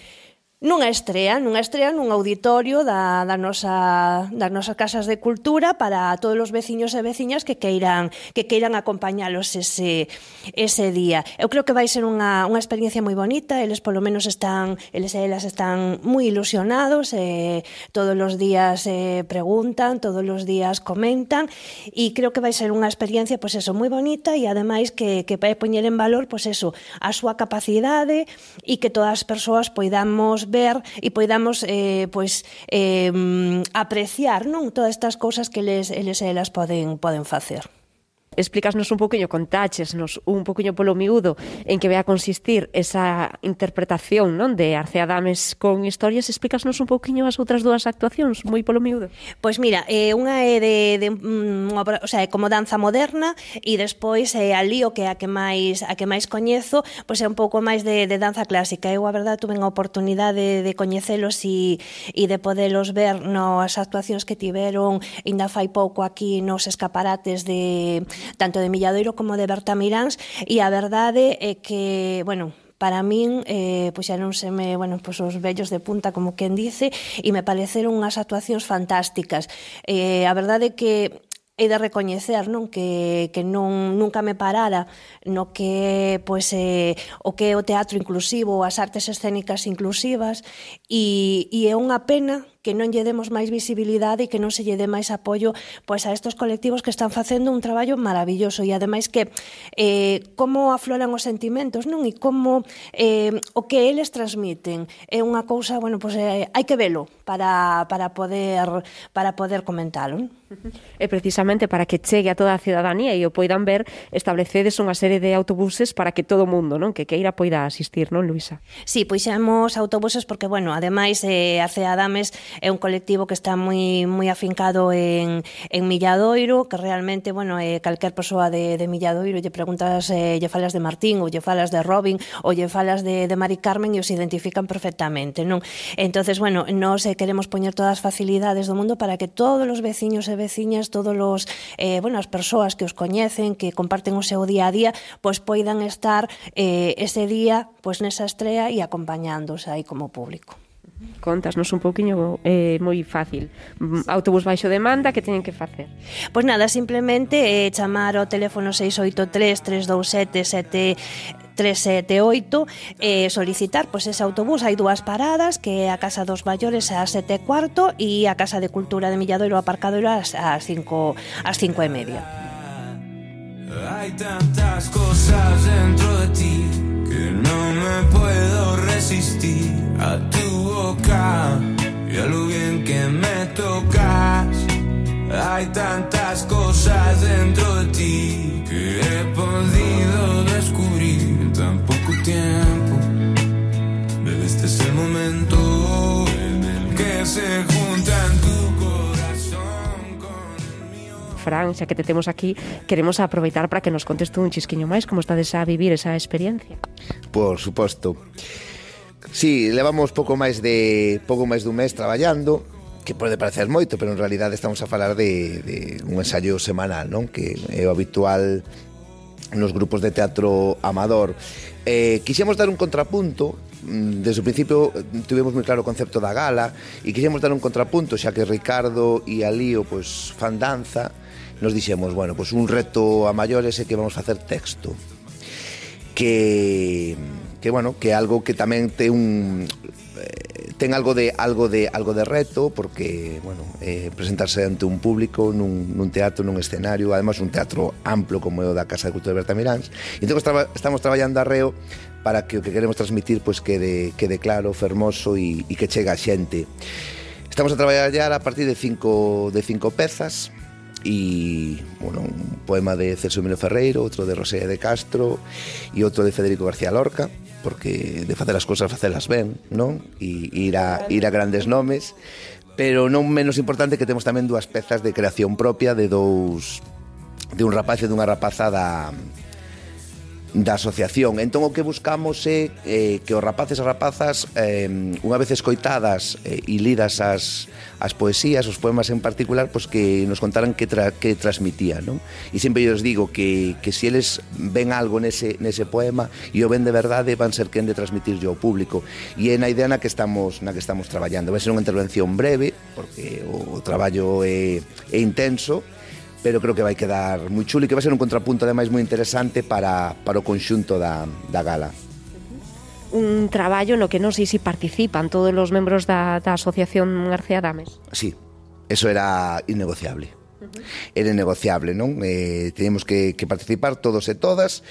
nunha estrea, nunha estrea nun auditorio da, da nosa, das nosas casas de cultura para todos os veciños e veciñas que queiran que queiran acompañalos ese, ese día. Eu creo que vai ser unha, unha experiencia moi bonita, eles polo menos están, eles e elas están moi ilusionados, eh, todos os días eh, preguntan, todos os días comentan, e creo que vai ser unha experiencia, pois eso, moi bonita, e ademais que, que vai poñer en valor, pois eso, a súa capacidade, e que todas as persoas poidamos ver e poidamos eh, pois, eh, apreciar, non, todas estas cousas que eles, eles e elas poden, poden facer. Explícasnos un poquinho, contáchesnos un poquinho polo miúdo en que vai a consistir esa interpretación, non, de Arce Adames con historias. Explícasnos un poquinho as outras dúas actuacións, moi polo miúdo. Pois mira, eh, unha é de, de um, o sea, como danza moderna, e despois é eh, a Lío, que é a que máis a que máis coñezo, pois é un pouco máis de, de danza clásica. Eu, a verdade, tuve a oportunidade de, de coñecelos e, e de podelos ver nas actuacións que tiveron ainda fai pouco aquí nos escaparates de tanto de Milladoiro como de Bertamiráns, e a verdade é que, bueno, para min, eh, pois xa non se me, bueno, pois os vellos de punta, como quen dice, e me pareceron unhas actuacións fantásticas. Eh, a verdade é que he de recoñecer, non, que, que non nunca me parara no que pois eh, o que é o teatro inclusivo, as artes escénicas inclusivas, e, e é unha pena que non lle demos máis visibilidade e que non se lle dé máis apoio pois a estos colectivos que están facendo un traballo maravilloso, e ademais que eh, como afloran os sentimentos, non, e como eh, o que eles transmiten é unha cousa, bueno, pois eh, hai que velo para, para poder para poder comentalo, non? E precisamente para que chegue a toda a cidadanía e o poidan ver, establecedes unha serie de autobuses para que todo o mundo, non, que queira poida asistir, non, Luisa? Sí, puxemos autobuses porque, bueno, ademais eh, Arce Adames é un colectivo que está moi moi afincado en, en Milladoiro, que realmente, bueno, eh, calquer persoa de, de Milladoiro lle preguntas, eh, lle falas de Martín, ou lle falas de Robin, ou lle falas de, de Mari Carmen, e os identifican perfectamente, non? Entonces, bueno, nós eh, queremos poñer todas as facilidades do mundo para que todos os veciños e veciñas, todos os, eh, bueno, as persoas que os coñecen, que comparten o seu día a día, pois poidan estar eh, ese día pois nesa estrea e acompañándose aí como público. Contasnos un pouquiño, é eh, moi fácil. Autobús baixo demanda, que teñen que facer? Pois nada, simplemente eh, chamar ao teléfono seis oito tres, tres dous sete, sete tres sete oito e eh, solicitar pois ese autobús. Hai dúas paradas, que é a Casa dos Maiores ás sete e cuarto e a Casa de Cultura de Milladoiro Aparcadoiro ás cinco ás cinco e media. Hay tantas cosas dentro de ti que no me puedo resistir a tu boca y a lo bien que me tocas. Hay tantas cosas dentro de ti que he podido descubrir en tan poco tiempo. Pero este es el momento en el que se juntan tu corazón con el mío. Fran, xa que te temos aquí, queremos aproveitar para que nos contes tú un chisquiño máis como estades a vivir esa experiencia. Por suposto. Sí, levamos pouco máis de pouco máis dun mes traballando, que pode parecer moito, pero en realidade estamos a falar de, de un ensayo semanal, non? Que é o habitual nos grupos de teatro amador. Eh, quixemos dar un contrapunto. Desde o principio tivemos moi claro o concepto da gala e quixemos dar un contrapunto, xa que Ricardo e a Lío pois, fan danza. Nos dixemos, bueno, pois un reto a maiores é que vamos facer texto, que que bueno, que é algo que tamén ten un eh, ten algo de algo de algo de reto, porque bueno, eh, presentarse ante un público nun, nun teatro, nun escenario, además un teatro amplo como é o da Casa de Cultura de Bertamiráns. E entón traba, estamos traballando arreo para que o que queremos transmitir pois quede quede claro, fermoso e, e que chegue a xente. Estamos a traballar a partir de cinco de cinco pezas. E, bueno, un poema de Celso Emilio Ferreiro, outro de Rosalía de Castro e outro de Federico García Lorca, porque de facer as cousas facelas ben, non? E ir a, ir a grandes nomes, pero non menos importante que temos tamén dúas pezas de creación propia de dous de un rapaz e dunha rapaza da da asociación. Entón o que buscamos é eh, que os rapaces e rapazas eh, unha vez escoitadas eh, e lidas as, as poesías, os poemas en particular, pois que nos contaran que, tra, que transmitía, non? E sempre eu os digo que, que se eles ven algo nese, nese poema e o ven de verdade, van ser quen de transmitir ao público, e é na idea na que estamos na que estamos traballando. Vai ser unha intervención breve porque o, o traballo é, é intenso, pero creo que vai quedar moi chulo e que vai ser un contrapunto ademais moi interesante para, para o conxunto da, da gala. Un traballo no que non sei se participan todos os membros da, da Asociación García Dames. Sí, eso era innegociable. Era innegociable, non? Eh, teníamos que, que participar todos e todas,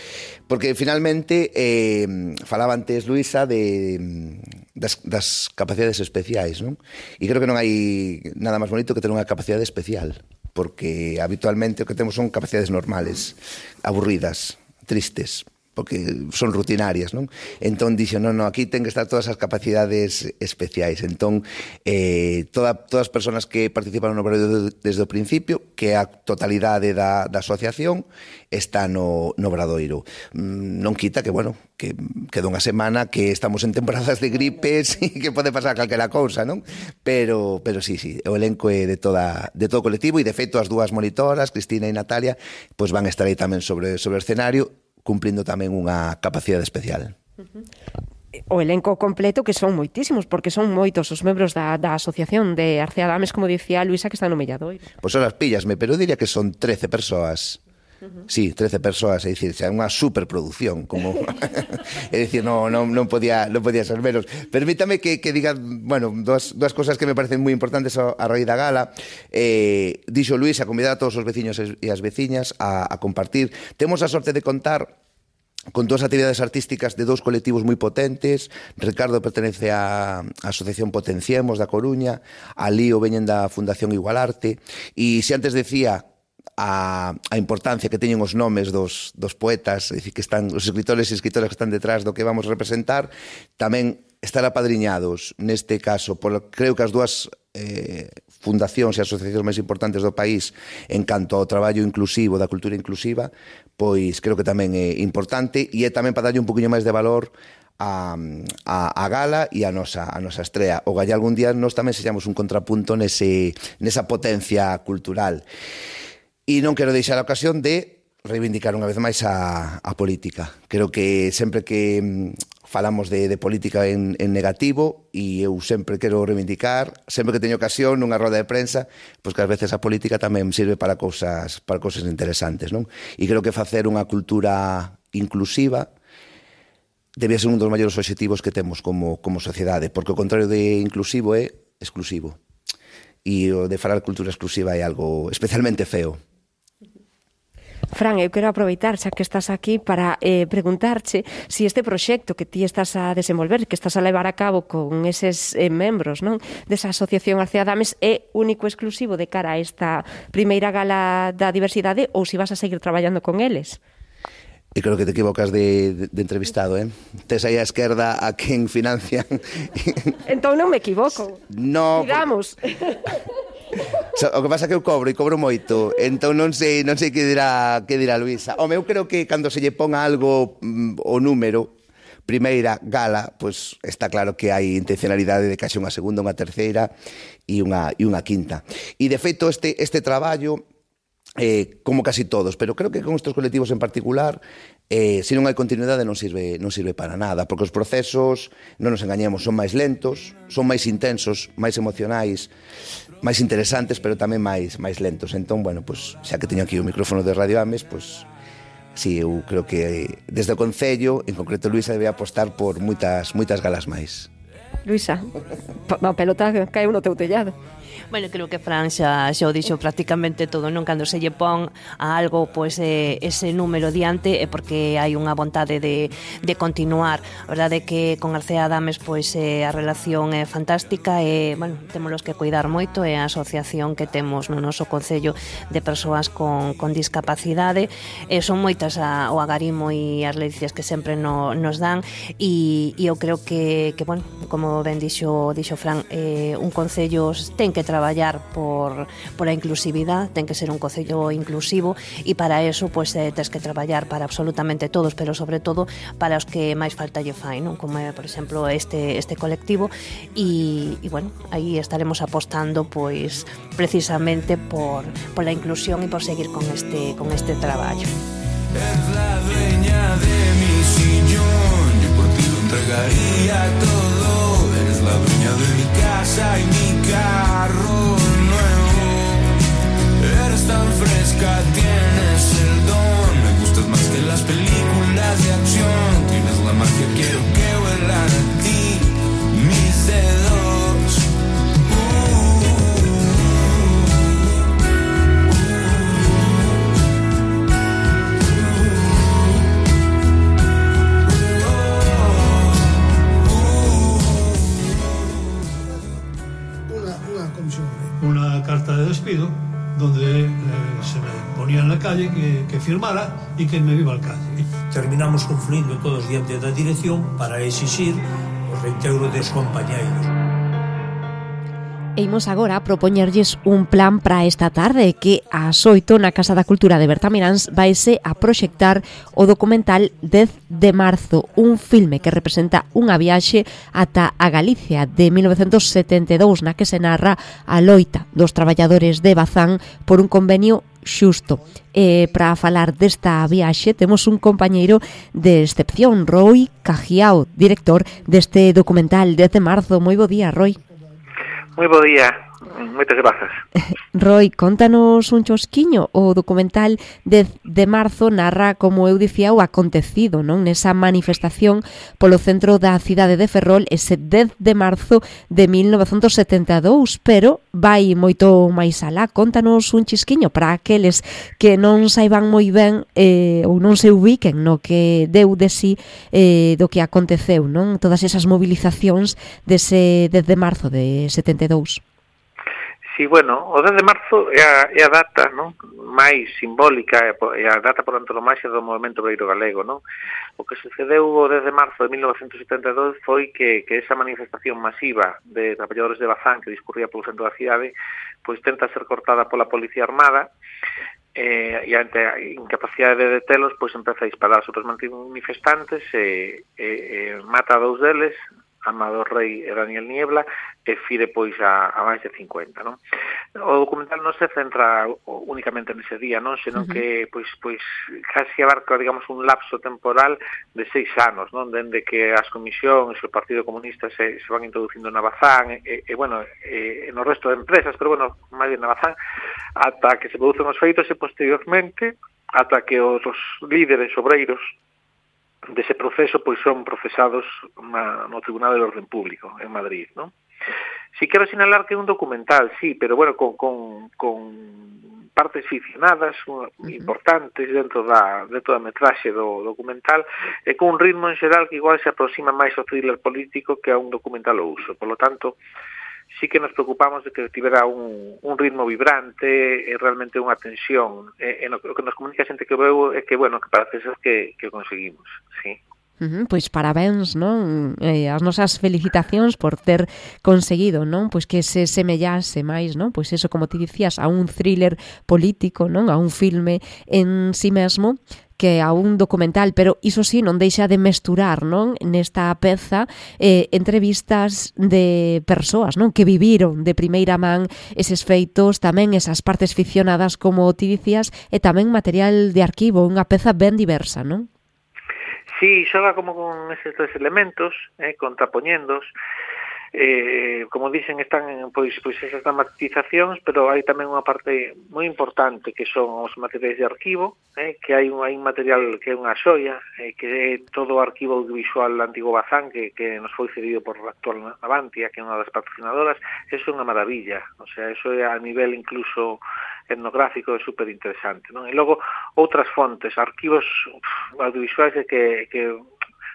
porque finalmente eh, falaba antes Luisa de, das, das capacidades especiais, non? E creo que non hai nada máis bonito que ter unha capacidade especial, porque habitualmente o que temos son capacidades normales, aburridas, tristes, porque son rutinarias, non? Entón dixo, non, non, aquí ten que estar todas as capacidades especiais. Entón, eh, toda, todas as persoas que participaron no obradoiro desde o principio, que a totalidade da, da asociación está no, no obradoiro. Mm, non quita que, bueno, que queda unha semana que estamos en temporadas de gripes e que pode pasar calquera cousa, non? Pero, pero sí, sí, o elenco é de, toda, de todo o colectivo e, de feito, as dúas monitoras, Cristina e Natalia, pois van a estar aí tamén sobre, sobre o escenario, cumplindo tamén unha capacidade especial. O elenco completo, que son moitísimos, porque son moitos os membros da, da Asociación de García Dames, como dicía Luisa, que están no Melladoiro. Pois son as pillasme, pero diría que son trece persoas. Uh-huh. Sí, trece persoas, é dicir, é unha superproducción, como é dicir, non, non, non podía non podía ser menos. Permítame que, que diga, bueno, dúas, dúas cosas que me parecen moi importantes a, a raíz da gala. Eh, dixo Luis a convidar a todos os veciños e as veciñas a, a compartir. Temos a sorte de contar con dúas actividades artísticas de dous colectivos moi potentes. Ricardo pertenece á Asociación Potenciemos da Coruña, a Lío veñen da Fundación Igualarte, e se antes decía a, a importancia que teñen os nomes dos, dos poetas, é dicir, que están os escritores e escritoras que están detrás do que vamos representar, tamén estar apadriñados neste caso por, creo que as dúas eh, fundacións e asociacións máis importantes do país en canto ao traballo inclusivo, da cultura inclusiva, pois creo que tamén é importante, e é tamén para darlle un poquinho máis de valor a, a, a gala e a nosa, a nosa estrea. O galla algún día nós tamén sexamos un contrapunto nese, nesa potencia cultural. E non quero deixar a ocasión de reivindicar unha vez máis a, a política. Creo que sempre que falamos de, de política en, en negativo, e eu sempre quero reivindicar, sempre que teño ocasión nunha roda de prensa, pois que ás veces a política tamén sirve para cousas, para cousas interesantes, non? E creo que facer unha cultura inclusiva debía ser un dos maiores obxectivos que temos como, como sociedade, porque o contrario de inclusivo é exclusivo. E o de falar cultura exclusiva é algo especialmente feo. Fran, eu quero aproveitar, xa que estás aquí, para eh, preguntarche si este proxecto que ti estás a desenvolver, que estás a levar a cabo con eses eh, membros, non, desa Asociación García Dames, é único e exclusivo de cara a esta primeira gala da diversidade, ou si vas a seguir traballando con eles? E creo que te equivocas de, de, de entrevistado, eh? Tes aí a esquerda a quen financian. Entón non me equivoco. No. Digamos. O que pasa é que eu cobro e cobro moito, entón non sei, non sei que dirá, que dirá Luisa. Home, eu creo que cando se lle ponga algo mm, o número, primeira gala, pois está claro que hai intencionalidade de que haxe unha segunda, unha terceira e unha, e unha quinta. E de feito este, este traballo, eh, como casi todos, pero creo que con estes colectivos en particular, eh, se non hai continuidade non sirve, non sirve para nada, porque os procesos, non nos engañemos, son máis lentos, son máis intensos, máis emocionais, máis interesantes, pero tamén máis máis lentos. Entón, bueno, pues, xa que teño aquí o micrófono de Radio Ames, pues, sí, eu creo que desde o Concello, en concreto Luisa, debe apostar por moitas moitas galas máis. Luisa, a pelota caeu no teu tellado. Bueno, creo que Fran xa, xa o dixo prácticamente todo, non? Cando se lle pon a algo, pois, eh, ese número diante é porque hai unha vontade de, de continuar. A verdade é que con García Dames, pois, eh, a relación é fantástica e, bueno, temos que cuidar moito, é a asociación que temos no noso Concello de persoas con, con discapacidade, e son moitas a, o agarimo e as lecciones que sempre no, nos dan, e, e eu creo que, que, bueno, como como ben dixo, dixo Fran, eh, un concello ten que traballar por, por a inclusividade, ten que ser un concello inclusivo, e para eso, pues, eh, tens que traballar para absolutamente todos, pero sobre todo para os que máis falta lle fai, non? Como é, por exemplo, este, este colectivo, e, e bueno, aí estaremos apostando, pois, precisamente por, por la inclusión e por seguir con este, con este traballo. Es la dueña de mi sillón, yo por ti lo entregaría todo. Eres la dueña de mi casa y mi carro nuevo. Eres tan fresca, tienes el don. Me gustas más que las películas de acción. Tienes la magia, quiero que vuelan a ti mis dedos. Una carta de despido donde eh, se me ponía en la calle que, que firmara y que me iba al calle. Terminamos confluindo todos diante da dirección para exixir o reintegro dos compañeiros. E imos agora a propoñerlles un plan para esta tarde que ás oito na Casa da Cultura de Bertamiráns vaise a proxectar o documental dez de marzo, un filme que representa unha viaxe ata a Galicia de mil novecentos setenta e dous na que se narra a loita dos traballadores de Bazán por un convenio xusto. E para falar desta viaxe temos un compañeiro de excepción, Roy Cajiao, director deste documental dez de marzo. Moi bo día, Roy. Moi bo día, moitas grazas. Roy, contanos un chosquiño. O documental dez de marzo narra, como eu dicía, o acontecido, non? Nesa manifestación polo centro da cidade de Ferrol ese dez de marzo de mil novecentos setenta e dous, pero vai moito máis alá. Contanos un chisquiño para aqueles que non saiban moi ben eh, ou non se ubiquen no que deu de si eh, do que aconteceu, non? Todas esas movilizacións dese dez de marzo de setenta e dous. Sí, bueno, o dez de marzo é a, é a data, non, máis simbólica, é a data por antonomasia do movemento obreiro galego, non? O que sucedeu o dez de marzo de mil novecentos setenta e dous foi que, que esa manifestación masiva de traballadores de Bazán que discurría polo centro da cidade, pois tenta ser cortada pola Policía Armada, eh, e ante a incapacidade de detelos, pois empeza a disparar sobre os manifestantes e, e, e mata a dous deles, Amador Rey e Daniel Niebla, e fire pois a, a máis de cincuenta, non? O documental non se centra únicamente nese día, non, senón uh -huh. que pois pois casi abarca, digamos, un lapso temporal de seis anos, non, dende que as comisións e o Partido Comunista se, se van introducindo na Bazán e, e bueno, e, no resto de empresas, pero bueno, máis bien na Bazán, ata que se producen os feitos e posteriormente ata que os, os líderes obreiros dese proceso pois son procesados na, no Tribunal de Orden Público en Madrid, non? Si quero sinalar que é un documental, sí, pero bueno, con, con, con partes ficcionadas uh, importantes dentro da, dentro da metraxe do documental e con un ritmo en xeral que igual se aproxima máis ao thriller político que a un documental ao uso. Por lo tanto, sí que nos preocupamos de que tivera un, un ritmo vibrante e realmente unha tensión. E, e no, o que nos comunica a xente que veu é que, bueno, que parece ser que, que conseguimos, sí. Uh-huh, pois parabéns, non? Eh, as nosas felicitacións por ter conseguido, non? Pois que se semellase máis, non? Pois eso, como ti dicías, a un thriller político, non? A un filme en si mesmo que a un documental, pero iso sí non deixa de mesturar, non, nesta peza eh, entrevistas de persoas, non, que viviron de primeira man eses feitos, tamén esas partes ficcionadas como ti dicías, e tamén material de arquivo, unha peza ben diversa, non? Sí, xoga como con eses tres elementos, eh, contrapoñendos. Eh, como dicen, están pois, pois esas dramatizacións, pero hai tamén unha parte moi importante que son os materiais de arquivo, eh, que hai un, hai un material que é unha xoia, eh, que é todo o arquivo audiovisual antigo Bazán, que, que nos foi cedido por a actual Avantia, que é unha das patrocinadoras. Eso é unha maravilla, o sea, eso é a nivel incluso etnográfico, é super interesante, non? E logo outras fontes, arquivos uf, audiovisuais que, que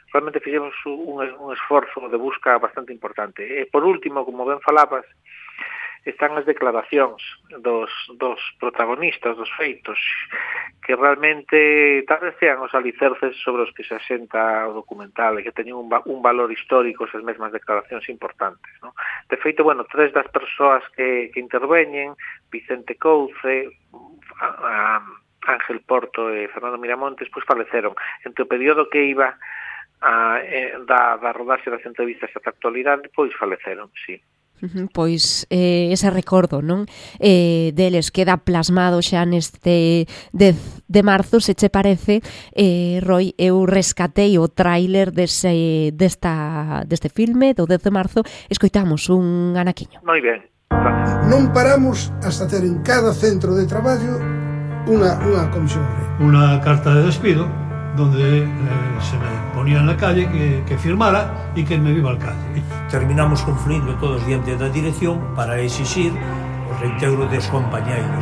realmente fixemos un, un esforzo de busca bastante importante. E por último, como ben falabas, están as declaracións dos, dos protagonistas dos feitos, que realmente tal vez sean os alicerces sobre os que se asenta o documental e que teñen un, un valor histórico esas mesmas declaracións importantes, ¿no? De feito, bueno, tres das persoas que, que interveñen, Vicente Couce, a, a Ángel Porto e Fernando Miramontes, pois faleceron. Entre o período que iba a, eh, da, da rodarse das entrevistas ata a actualidade, pois faleceron, sí. Pois eh, ese recordo, non? Eh, deles queda plasmado xa neste dez de marzo, se che parece, eh, Roy, eu rescatei o tráiler dese, desta, deste filme do dez de marzo, escoitamos un anaquiño. Moi ben. Non paramos hasta ter en cada centro de traballo unha, unha comisión. Una carta de despido donde eh, se me ponía en la calle que, que firmara y que me iba al calle. Terminamos confluindo todos diante da dirección para exixir o reintegro dos compañeiros.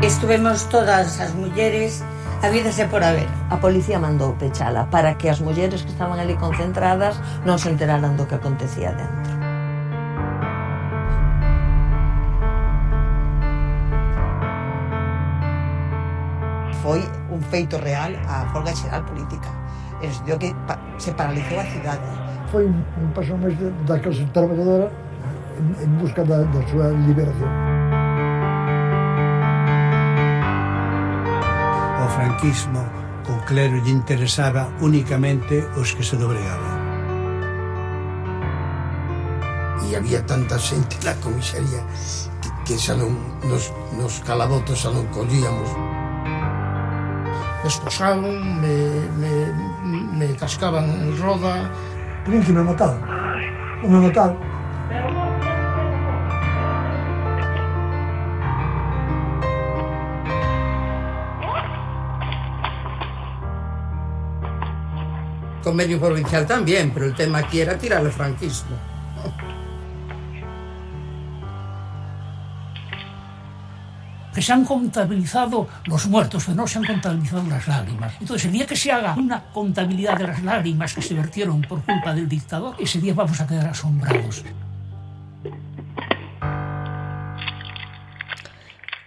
Estuvemos todas as mulleres habídase por haber. A policía mandou pechala para que as mulleres que estaban ali concentradas non se enteraran do que acontecía dentro. Foi un feito real a folga xeral política. Es dio que pa, se paralizou a cidade. Foi un, un paso máis da clase trabajadora en, en busca da, da súa liberación. O franquismo, o clero lle interesaba únicamente os que se dobregaban. E había tanta xente na comisaría que, que xa non nos, nos calabotos xa non collíamos. Me esposaron, me, me, me cascaban en roda. Creen que me mataron. Non me mataron. Convenio provincial también, pero el tema aquí era tirar el franquismo. Que se han contabilizado los muertos, pero no se han contabilizado las lágrimas. Entonces, el día que se haga una contabilidad de las lágrimas que se vertieron por culpa del dictador, ese día vamos a quedar asombrados.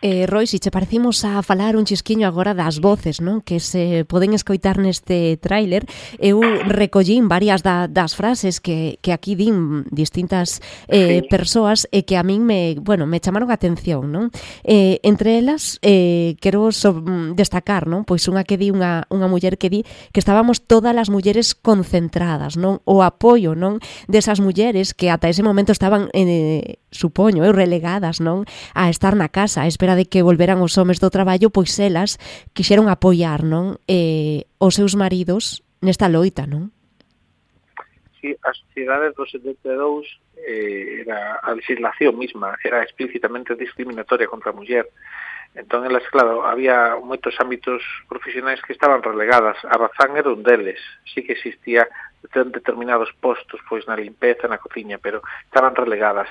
Eh, Roy, si che parecimos a falar un chisquiño agora das voces, non? Que se poden escoitar neste tráiler, eu recollín varias da, das frases que, que aquí din distintas eh, sí. persoas e que a min me, bueno, me chamaron a atención, non? Eh, entre elas, eh, quero so, destacar, non? Pois unha que di unha, unha muller que di que estábamos todas as mulleres concentradas, non? O apoio, non? Desas mulleres que ata ese momento estaban, eh, supoño, eu, relegadas, non? A estar na casa, a espera de que volveran os homes do traballo, pois elas quixeron apoiar, non? Eh, os seus maridos nesta loita, non? Sí, a sociedade do setenta e dous eh, era a legislación misma, era explícitamente discriminatoria contra a muller. Entón, elas, claro, había moitos ámbitos profesionais que estaban relegadas. A razán era un deles. Sí que existía determinados postos, pois na limpeza, na cociña, pero estaban relegadas.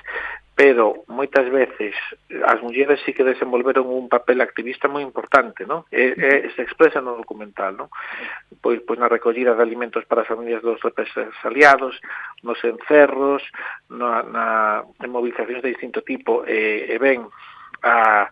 Pero moitas veces as mulleres sí que desenvolveron un papel activista moi importante, non? E, e se expresa no documental, non? Pois, pois na recollida de alimentos para as familias dos represaliados, nos encerros, na, na en movilizacións de distinto tipo, e, e ben, a,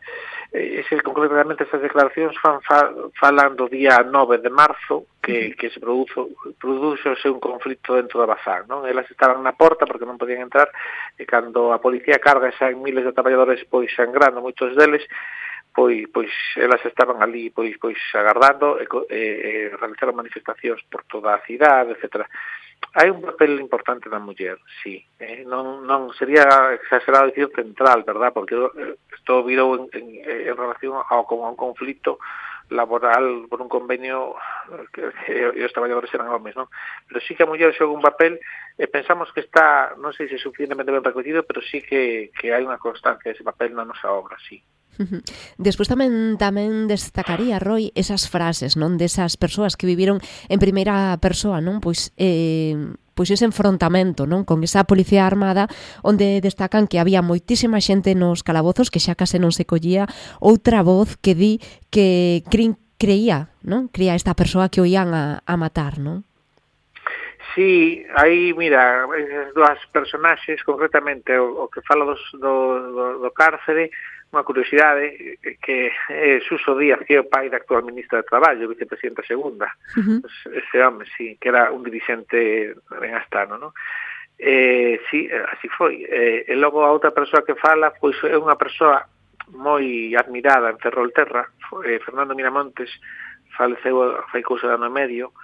ese, concretamente estas declaracións fan, fa, falan do día nove de marzo que, que se produzo, produxose un conflito dentro da Bazán, non? Elas estaban na porta porque non podían entrar e cando a policía carga xa en miles de traballadores pois sangrando, moitos deles pois pois elas estaban ali pois pois agardando e, e, e realizaron manifestacións por toda a cidade, etcétera. Hai un papel importante da muller, sí. Eh, non, non sería exagerado dicir central, verdad? Porque isto virou en, en, en relación ao, a un conflito laboral por un convenio que, que os traballadores eran homes, non? Pero sí que a muller xoga un papel e pensamos que está, non sei se suficientemente ben recollido, pero sí que, que hai unha constancia dese papel na nosa obra, sí. Despois tamén tamén destacaría, Roy, esas frases, non, desas persoas que viviron en primeira persoa, non? Pois eh, pois ese enfrontamento, non, con esa policía armada, onde destacan que había moitísima xente nos calabozos que xa case non se collía outra voz que di que crin, creía, non? Creía esta persoa que o ian a, a matar, non? Sí, aí, mira, esas dúas personaxes, concretamente o, o que fala dos, do, do, do cárcere, unha curiosidade, que é Suso Díaz, que é o pai da actual ministra de Traballo, vicepresidenta segunda. Uh-huh. Pues ese home, sí, que era un dirixente ben astano, non? Eh, sí, así foi. Eh, e logo a outra persoa que fala, pois é unha persoa moi admirada en Ferrolterra, eh, Fernando Miramontes, faleceu fai cousa de ano e medio,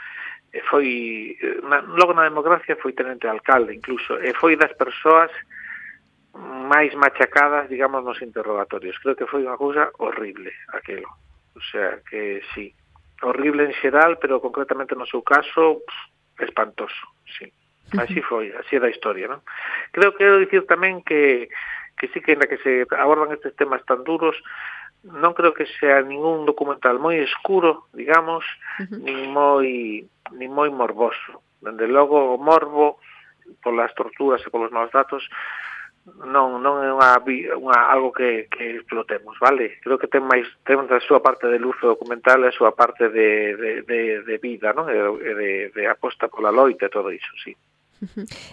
e foi, na, logo na democracia foi tenente de alcalde incluso, e foi das persoas máis machacadas, digamos, nos interrogatorios. Creo que foi unha cousa horrible aquelo, o sea, que sí, horrible en xeral, pero concretamente no seu caso, pff, espantoso, sí. Así foi, así é da historia, non? Creo que quero dicir tamén que, que sí que en la que se abordan estes temas tan duros, non creo que sea ningún documental moi escuro, digamos, uh-huh. nin moi nin moi morboso. Dende logo o morbo polas torturas e polos maus datos non non é unha, unha algo que, que explotemos, vale? Creo que ten máis ten a súa parte de luz documental e a súa parte de, de, de, de vida, non? E de, de aposta pola loita e todo iso, sí.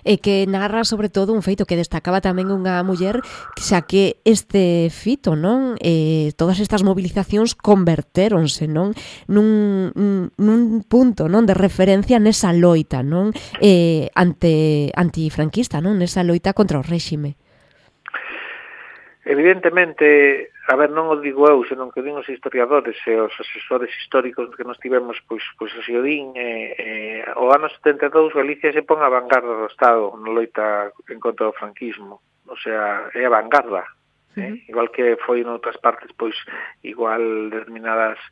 E que narra sobre todo un feito que destacaba tamén unha muller, xa que este fito, non, eh, todas estas movilizacións convertéronse, non, nun, nun punto, non, de referencia nesa loita, non, eh, ante antifranquista, non, nesa loita contra o réxime. Evidentemente, a ver, non o digo eu, senón que din os historiadores e os asesores históricos que nos tivemos, pois, pois así o din, eh, eh, o ano setenta e dous Galicia se pon a vanguarda do Estado na loita en contra do franquismo, o sea, é a vanguarda, eh? Uh-huh. Igual que foi en outras partes, pois, igual determinadas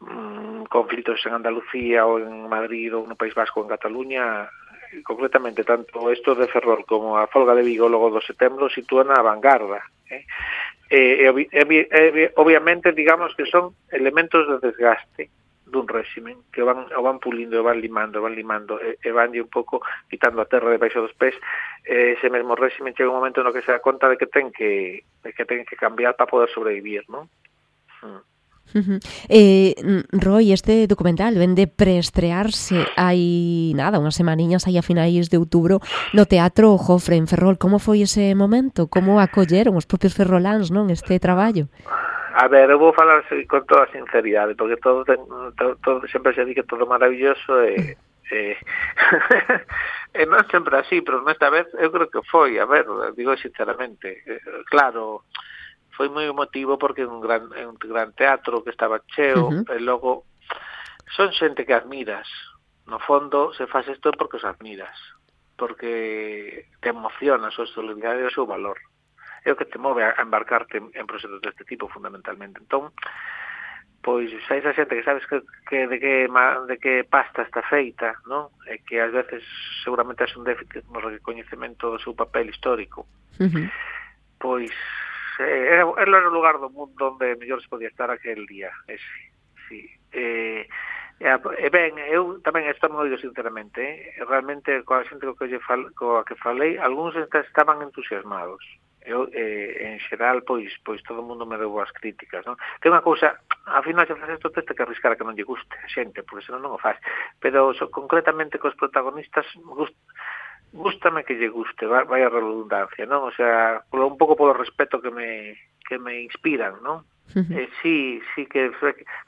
mm, conflitos en Andalucía ou en Madrid ou no País Vasco ou en Cataluña, concretamente tanto isto de Ferrol como a folga de Vigo logo do setembro sitúan a vanguarda, eh? E, e, e, e, obviamente digamos que son elementos de desgaste dun réximen que van, o van pulindo, o van limando, van limando e, e van un pouco quitando a terra debaixo dos pés. E ese mesmo réximen chega un momento no que se dá conta de que ten que, de que ten que cambiar para poder sobrevivir, non? Hmm. Uh-huh. Eh, Roy, este documental ven de preestrearse hai nada, unhas semaniñas aí a finais de outubro no Teatro Jofre en Ferrol. Como foi ese momento? Como acolleron os propios ferroláns, non, este traballo? A ver, eu vou falar con toda a sinceridade, porque todo, todo, todo sempre se di que todo maravilloso e, e, e non sempre así, pero nesta vez eu creo que foi, a ver, digo sinceramente, claro, foi moi emotivo porque é un gran, é un gran teatro que estaba cheo, uh-huh. E logo son xente que admiras. No fondo, se faz isto porque os admiras, porque te emociona a súa solidaridade e o seu valor. É o que te move a embarcarte en, en proxectos deste tipo, fundamentalmente. Entón, pois, xa esa xente que sabes que, que de que de que pasta está feita, non? E que ás veces seguramente é un déficit no recoñecemento do seu papel histórico. Uh-huh. Pois era, era o lugar do mundo onde mellor se podía estar aquel día, ese, sí. E, e, e ben, eu tamén isto non digo sinceramente, eh? Realmente coa xente co que, fal, coa que falei, algúns estaban entusiasmados. Eu, eh, en xeral, pois, pois todo o mundo me deu boas críticas, non? Que unha cousa, a final se faz isto, teste que arriscar a que non lle guste a xente, porque senón non o faz. Pero so, concretamente cos protagonistas, gust, gústame que lle guste, vai, vai a redundancia, non? O sea, polo, un pouco polo respeto que me que me inspiran, non? Uh-huh. Eh, sí, sí que,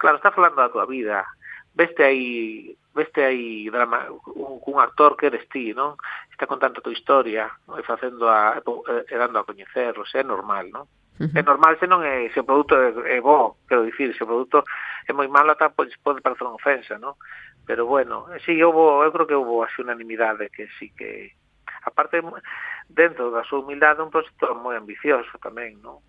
claro, está falando da tua vida. Veste aí, veste aí drama, un, un actor que eres ti, non? Está contando a tua historia, non? E facendo a, e dando a coñecer, o sea, é normal, non? Uh-huh. É normal se non é, se o produto é, é bo, quero dicir, se o produto é moi malo, tá, pois pode parecer unha ofensa, non? Pero bueno, sí, houve, eu creo que houve así unanimidade que sí que, aparte, dentro da súa humildade, un proxecto moi ambicioso tamén, non?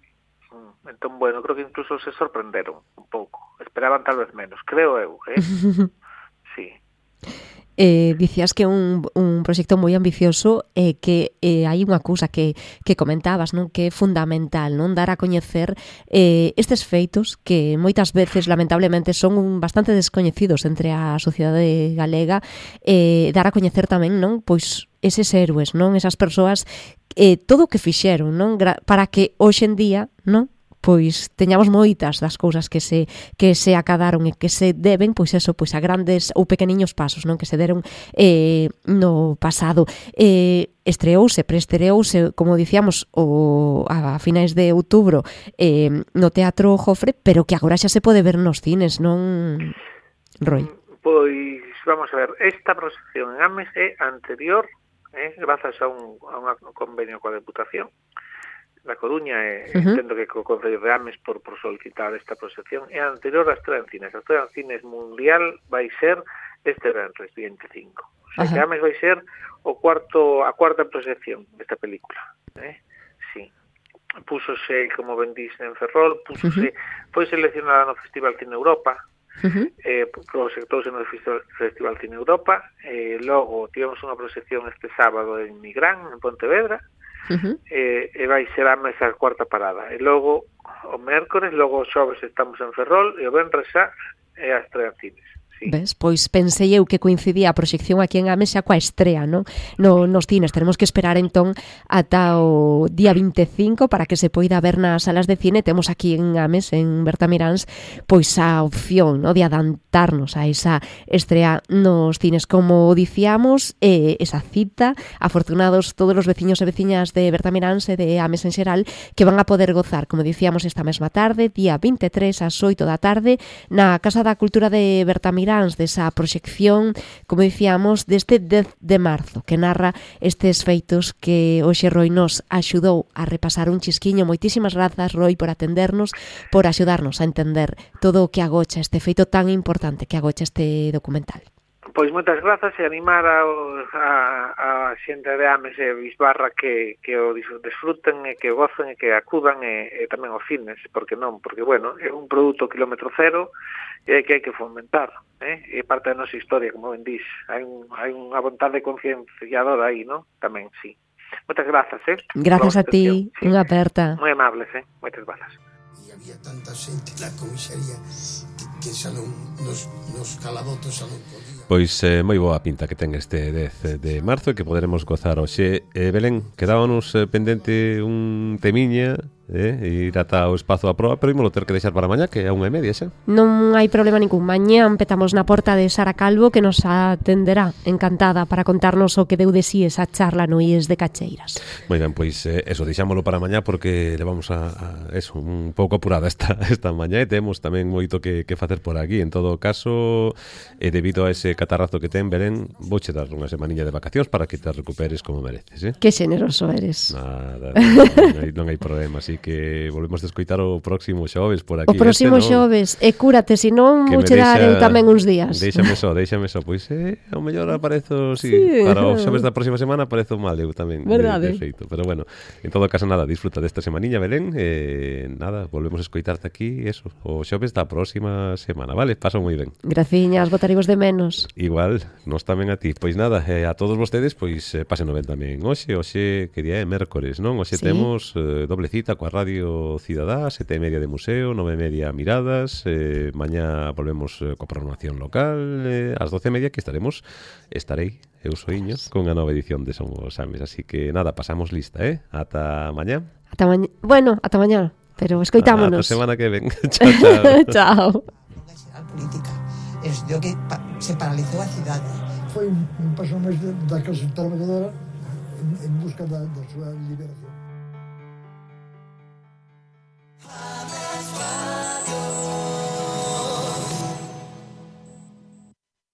Entón, bueno, creo que incluso se sorprenderon un pouco. Esperaban tal vez menos, creo eu, eh? Sí. Eh, dicías que é un, un proxecto moi ambicioso e eh, que eh, hai unha cousa que, que comentabas, non, que é fundamental, non, dar a coñecer eh, estes feitos que moitas veces lamentablemente son un, bastante descoñecidos entre a sociedade galega, eh, dar a coñecer tamén, non, pois eses héroes, non, esas persoas, eh, todo o que fixeron, non, para que hoxe en día, non, pois teñamos moitas das cousas que se que se acadaron e que se deben, pois eso, pois a grandes ou pequeniños pasos, non, que se deron eh, no pasado. Eh, estreouse, preestreouse, como dicíamos, o, a finais de outubro eh, no Teatro Jofre, pero que agora xa se pode ver nos cines, non, Roy? Pois, vamos a ver, esta proxección en Ames é anterior, eh, grazas a un, a un convenio coa Deputación da Coruña, e uh-huh. entendo que co Concello de Ames por, por solicitar esta proxección, é anterior a Estrela en Cines. A Estrela en Cines Mundial vai ser este venres, veinticinco. O sea, uh-huh. que Ames vai ser o cuarto, a cuarta proxección desta película. Eh? Sí. Púsose, como ben dís, en Ferrol, púsose, uh-huh. foi seleccionada no Festival Cine Europa, uh-huh. eh, proxectouse no Festival Cine Europa, e eh, logo tivemos unha proxección este sábado en Migrán, en Pontevedra, uh-huh. e, e vai ser a mesa cuarta parada. E logo, o mércores, logo o xoves estamos en Ferrol, e o venres xa é a Estrela en Cines. Sí. Ves? Pois pensei eu que coincidía a proxección aquí en Ames xa coa estrea, non? No, nos cines. Tenemos que esperar entón ata o día veinticinco para que se poida ver nas salas de cine. Temos aquí en Ames, en Bertamiráns, pois a opción, non, de adantarnos a esa estrea nos cines. Como dicíamos, eh, esa cita, afortunados todos os veciños e veciñas de Bertamiráns e de Ames en xeral, que van a poder gozar, como dicíamos, esta mesma tarde, día veintitrés ás oito da tarde, na Casa da Cultura de Bertamiráns, desa proxección, como dicíamos, deste dez de marzo, que narra estes feitos que hoxe Roy nos axudou a repasar un chisquiño. Moitísimas grazas, Roy, por atendernos, por axudarnos a entender todo o que agocha este feito tan importante que agocha este documental. Pois moitas grazas e animar a, a, a xente de Ames e Bisbarra que, que o disfruten e que o gocen e que acudan e, e tamén aos cines, porque non, porque, bueno, é un produto kilómetro cero e que hai que fomentar, eh? É parte da nosa historia, como ben dís. Hai, un, hai unha vontade concienciadora aí, non? Tamén, sí. Moitas grazas, eh? Grazas a ti, sí. Unha aperta. Moi amables, eh? Moitas grazas. E había tanta xente na comisaría que xa non, nos, nos calabotos xa non podía. Pois eh, moi boa pinta que ten este dez de marzo e que poderemos gozar hoxe. Eh, Belén, quedábanos eh, pendente un temiña, eh, ir ata o espazo a proa, pero ímolo ter que deixar para mañá, que é a unha e media xa. Non hai problema ningún. Mañá empezamos na porta de Sara Calvo, que nos atenderá encantada para contarnos o que deu de si esa charla no I E S de Cacheiras. Moi ben, pois eh, eso, deixámolo para mañá porque levamos a, a eso, un pouco apurada esta, esta mañá e temos tamén moito que, que facer por aquí. En todo caso, e eh, debido a ese catarrazo que ten, Belén, vouche dar unha semaniña de vacacións para que te recuperes como mereces, eh? Que xeneroso eres. Nada, non hai, non hai problema, así que volvemos a escoitar o próximo xoves por aquí. O próximo este, xoves, e cúrate, se non vouche dar eu tamén uns días. Déixame só, déixame só, pois eh, ao mellor aparezo, sí, sí, para o xoves da próxima semana aparezo mal eu tamén. Verdade. De, de feito, pero bueno, en todo caso nada, disfruta desta semaniña, Belén, e eh, nada, volvemos a escoitarte aquí, eso, o xoves da próxima semana, vale? Paso moi ben. Graciñas, botaremos de menos. Igual, nos tamén a ti. Pois nada, eh, a todos vostedes, pois eh, pasen ben tamén. Hoxe, hoxe, que día é mércores, non? Hoxe sí. Temos eh, doble cita coa Radio Cidadá, sete e media de museo, nove e media miradas, eh, mañá volvemos eh, coa programación local, eh, ás doce e media que estaremos, estarei, eu soiño, con a nova edición de Somos Ames. Así que nada, pasamos lista, eh? Ata mañá. Ata mañá, bueno, ata mañá, pero escoitámonos. Ata semana que ven. Chao, chao. Chao. Política. Estudiou que pa se paralizou a cidade. Foi un, un paso máis da clase trabajadora en, en busca da, da súa liberación.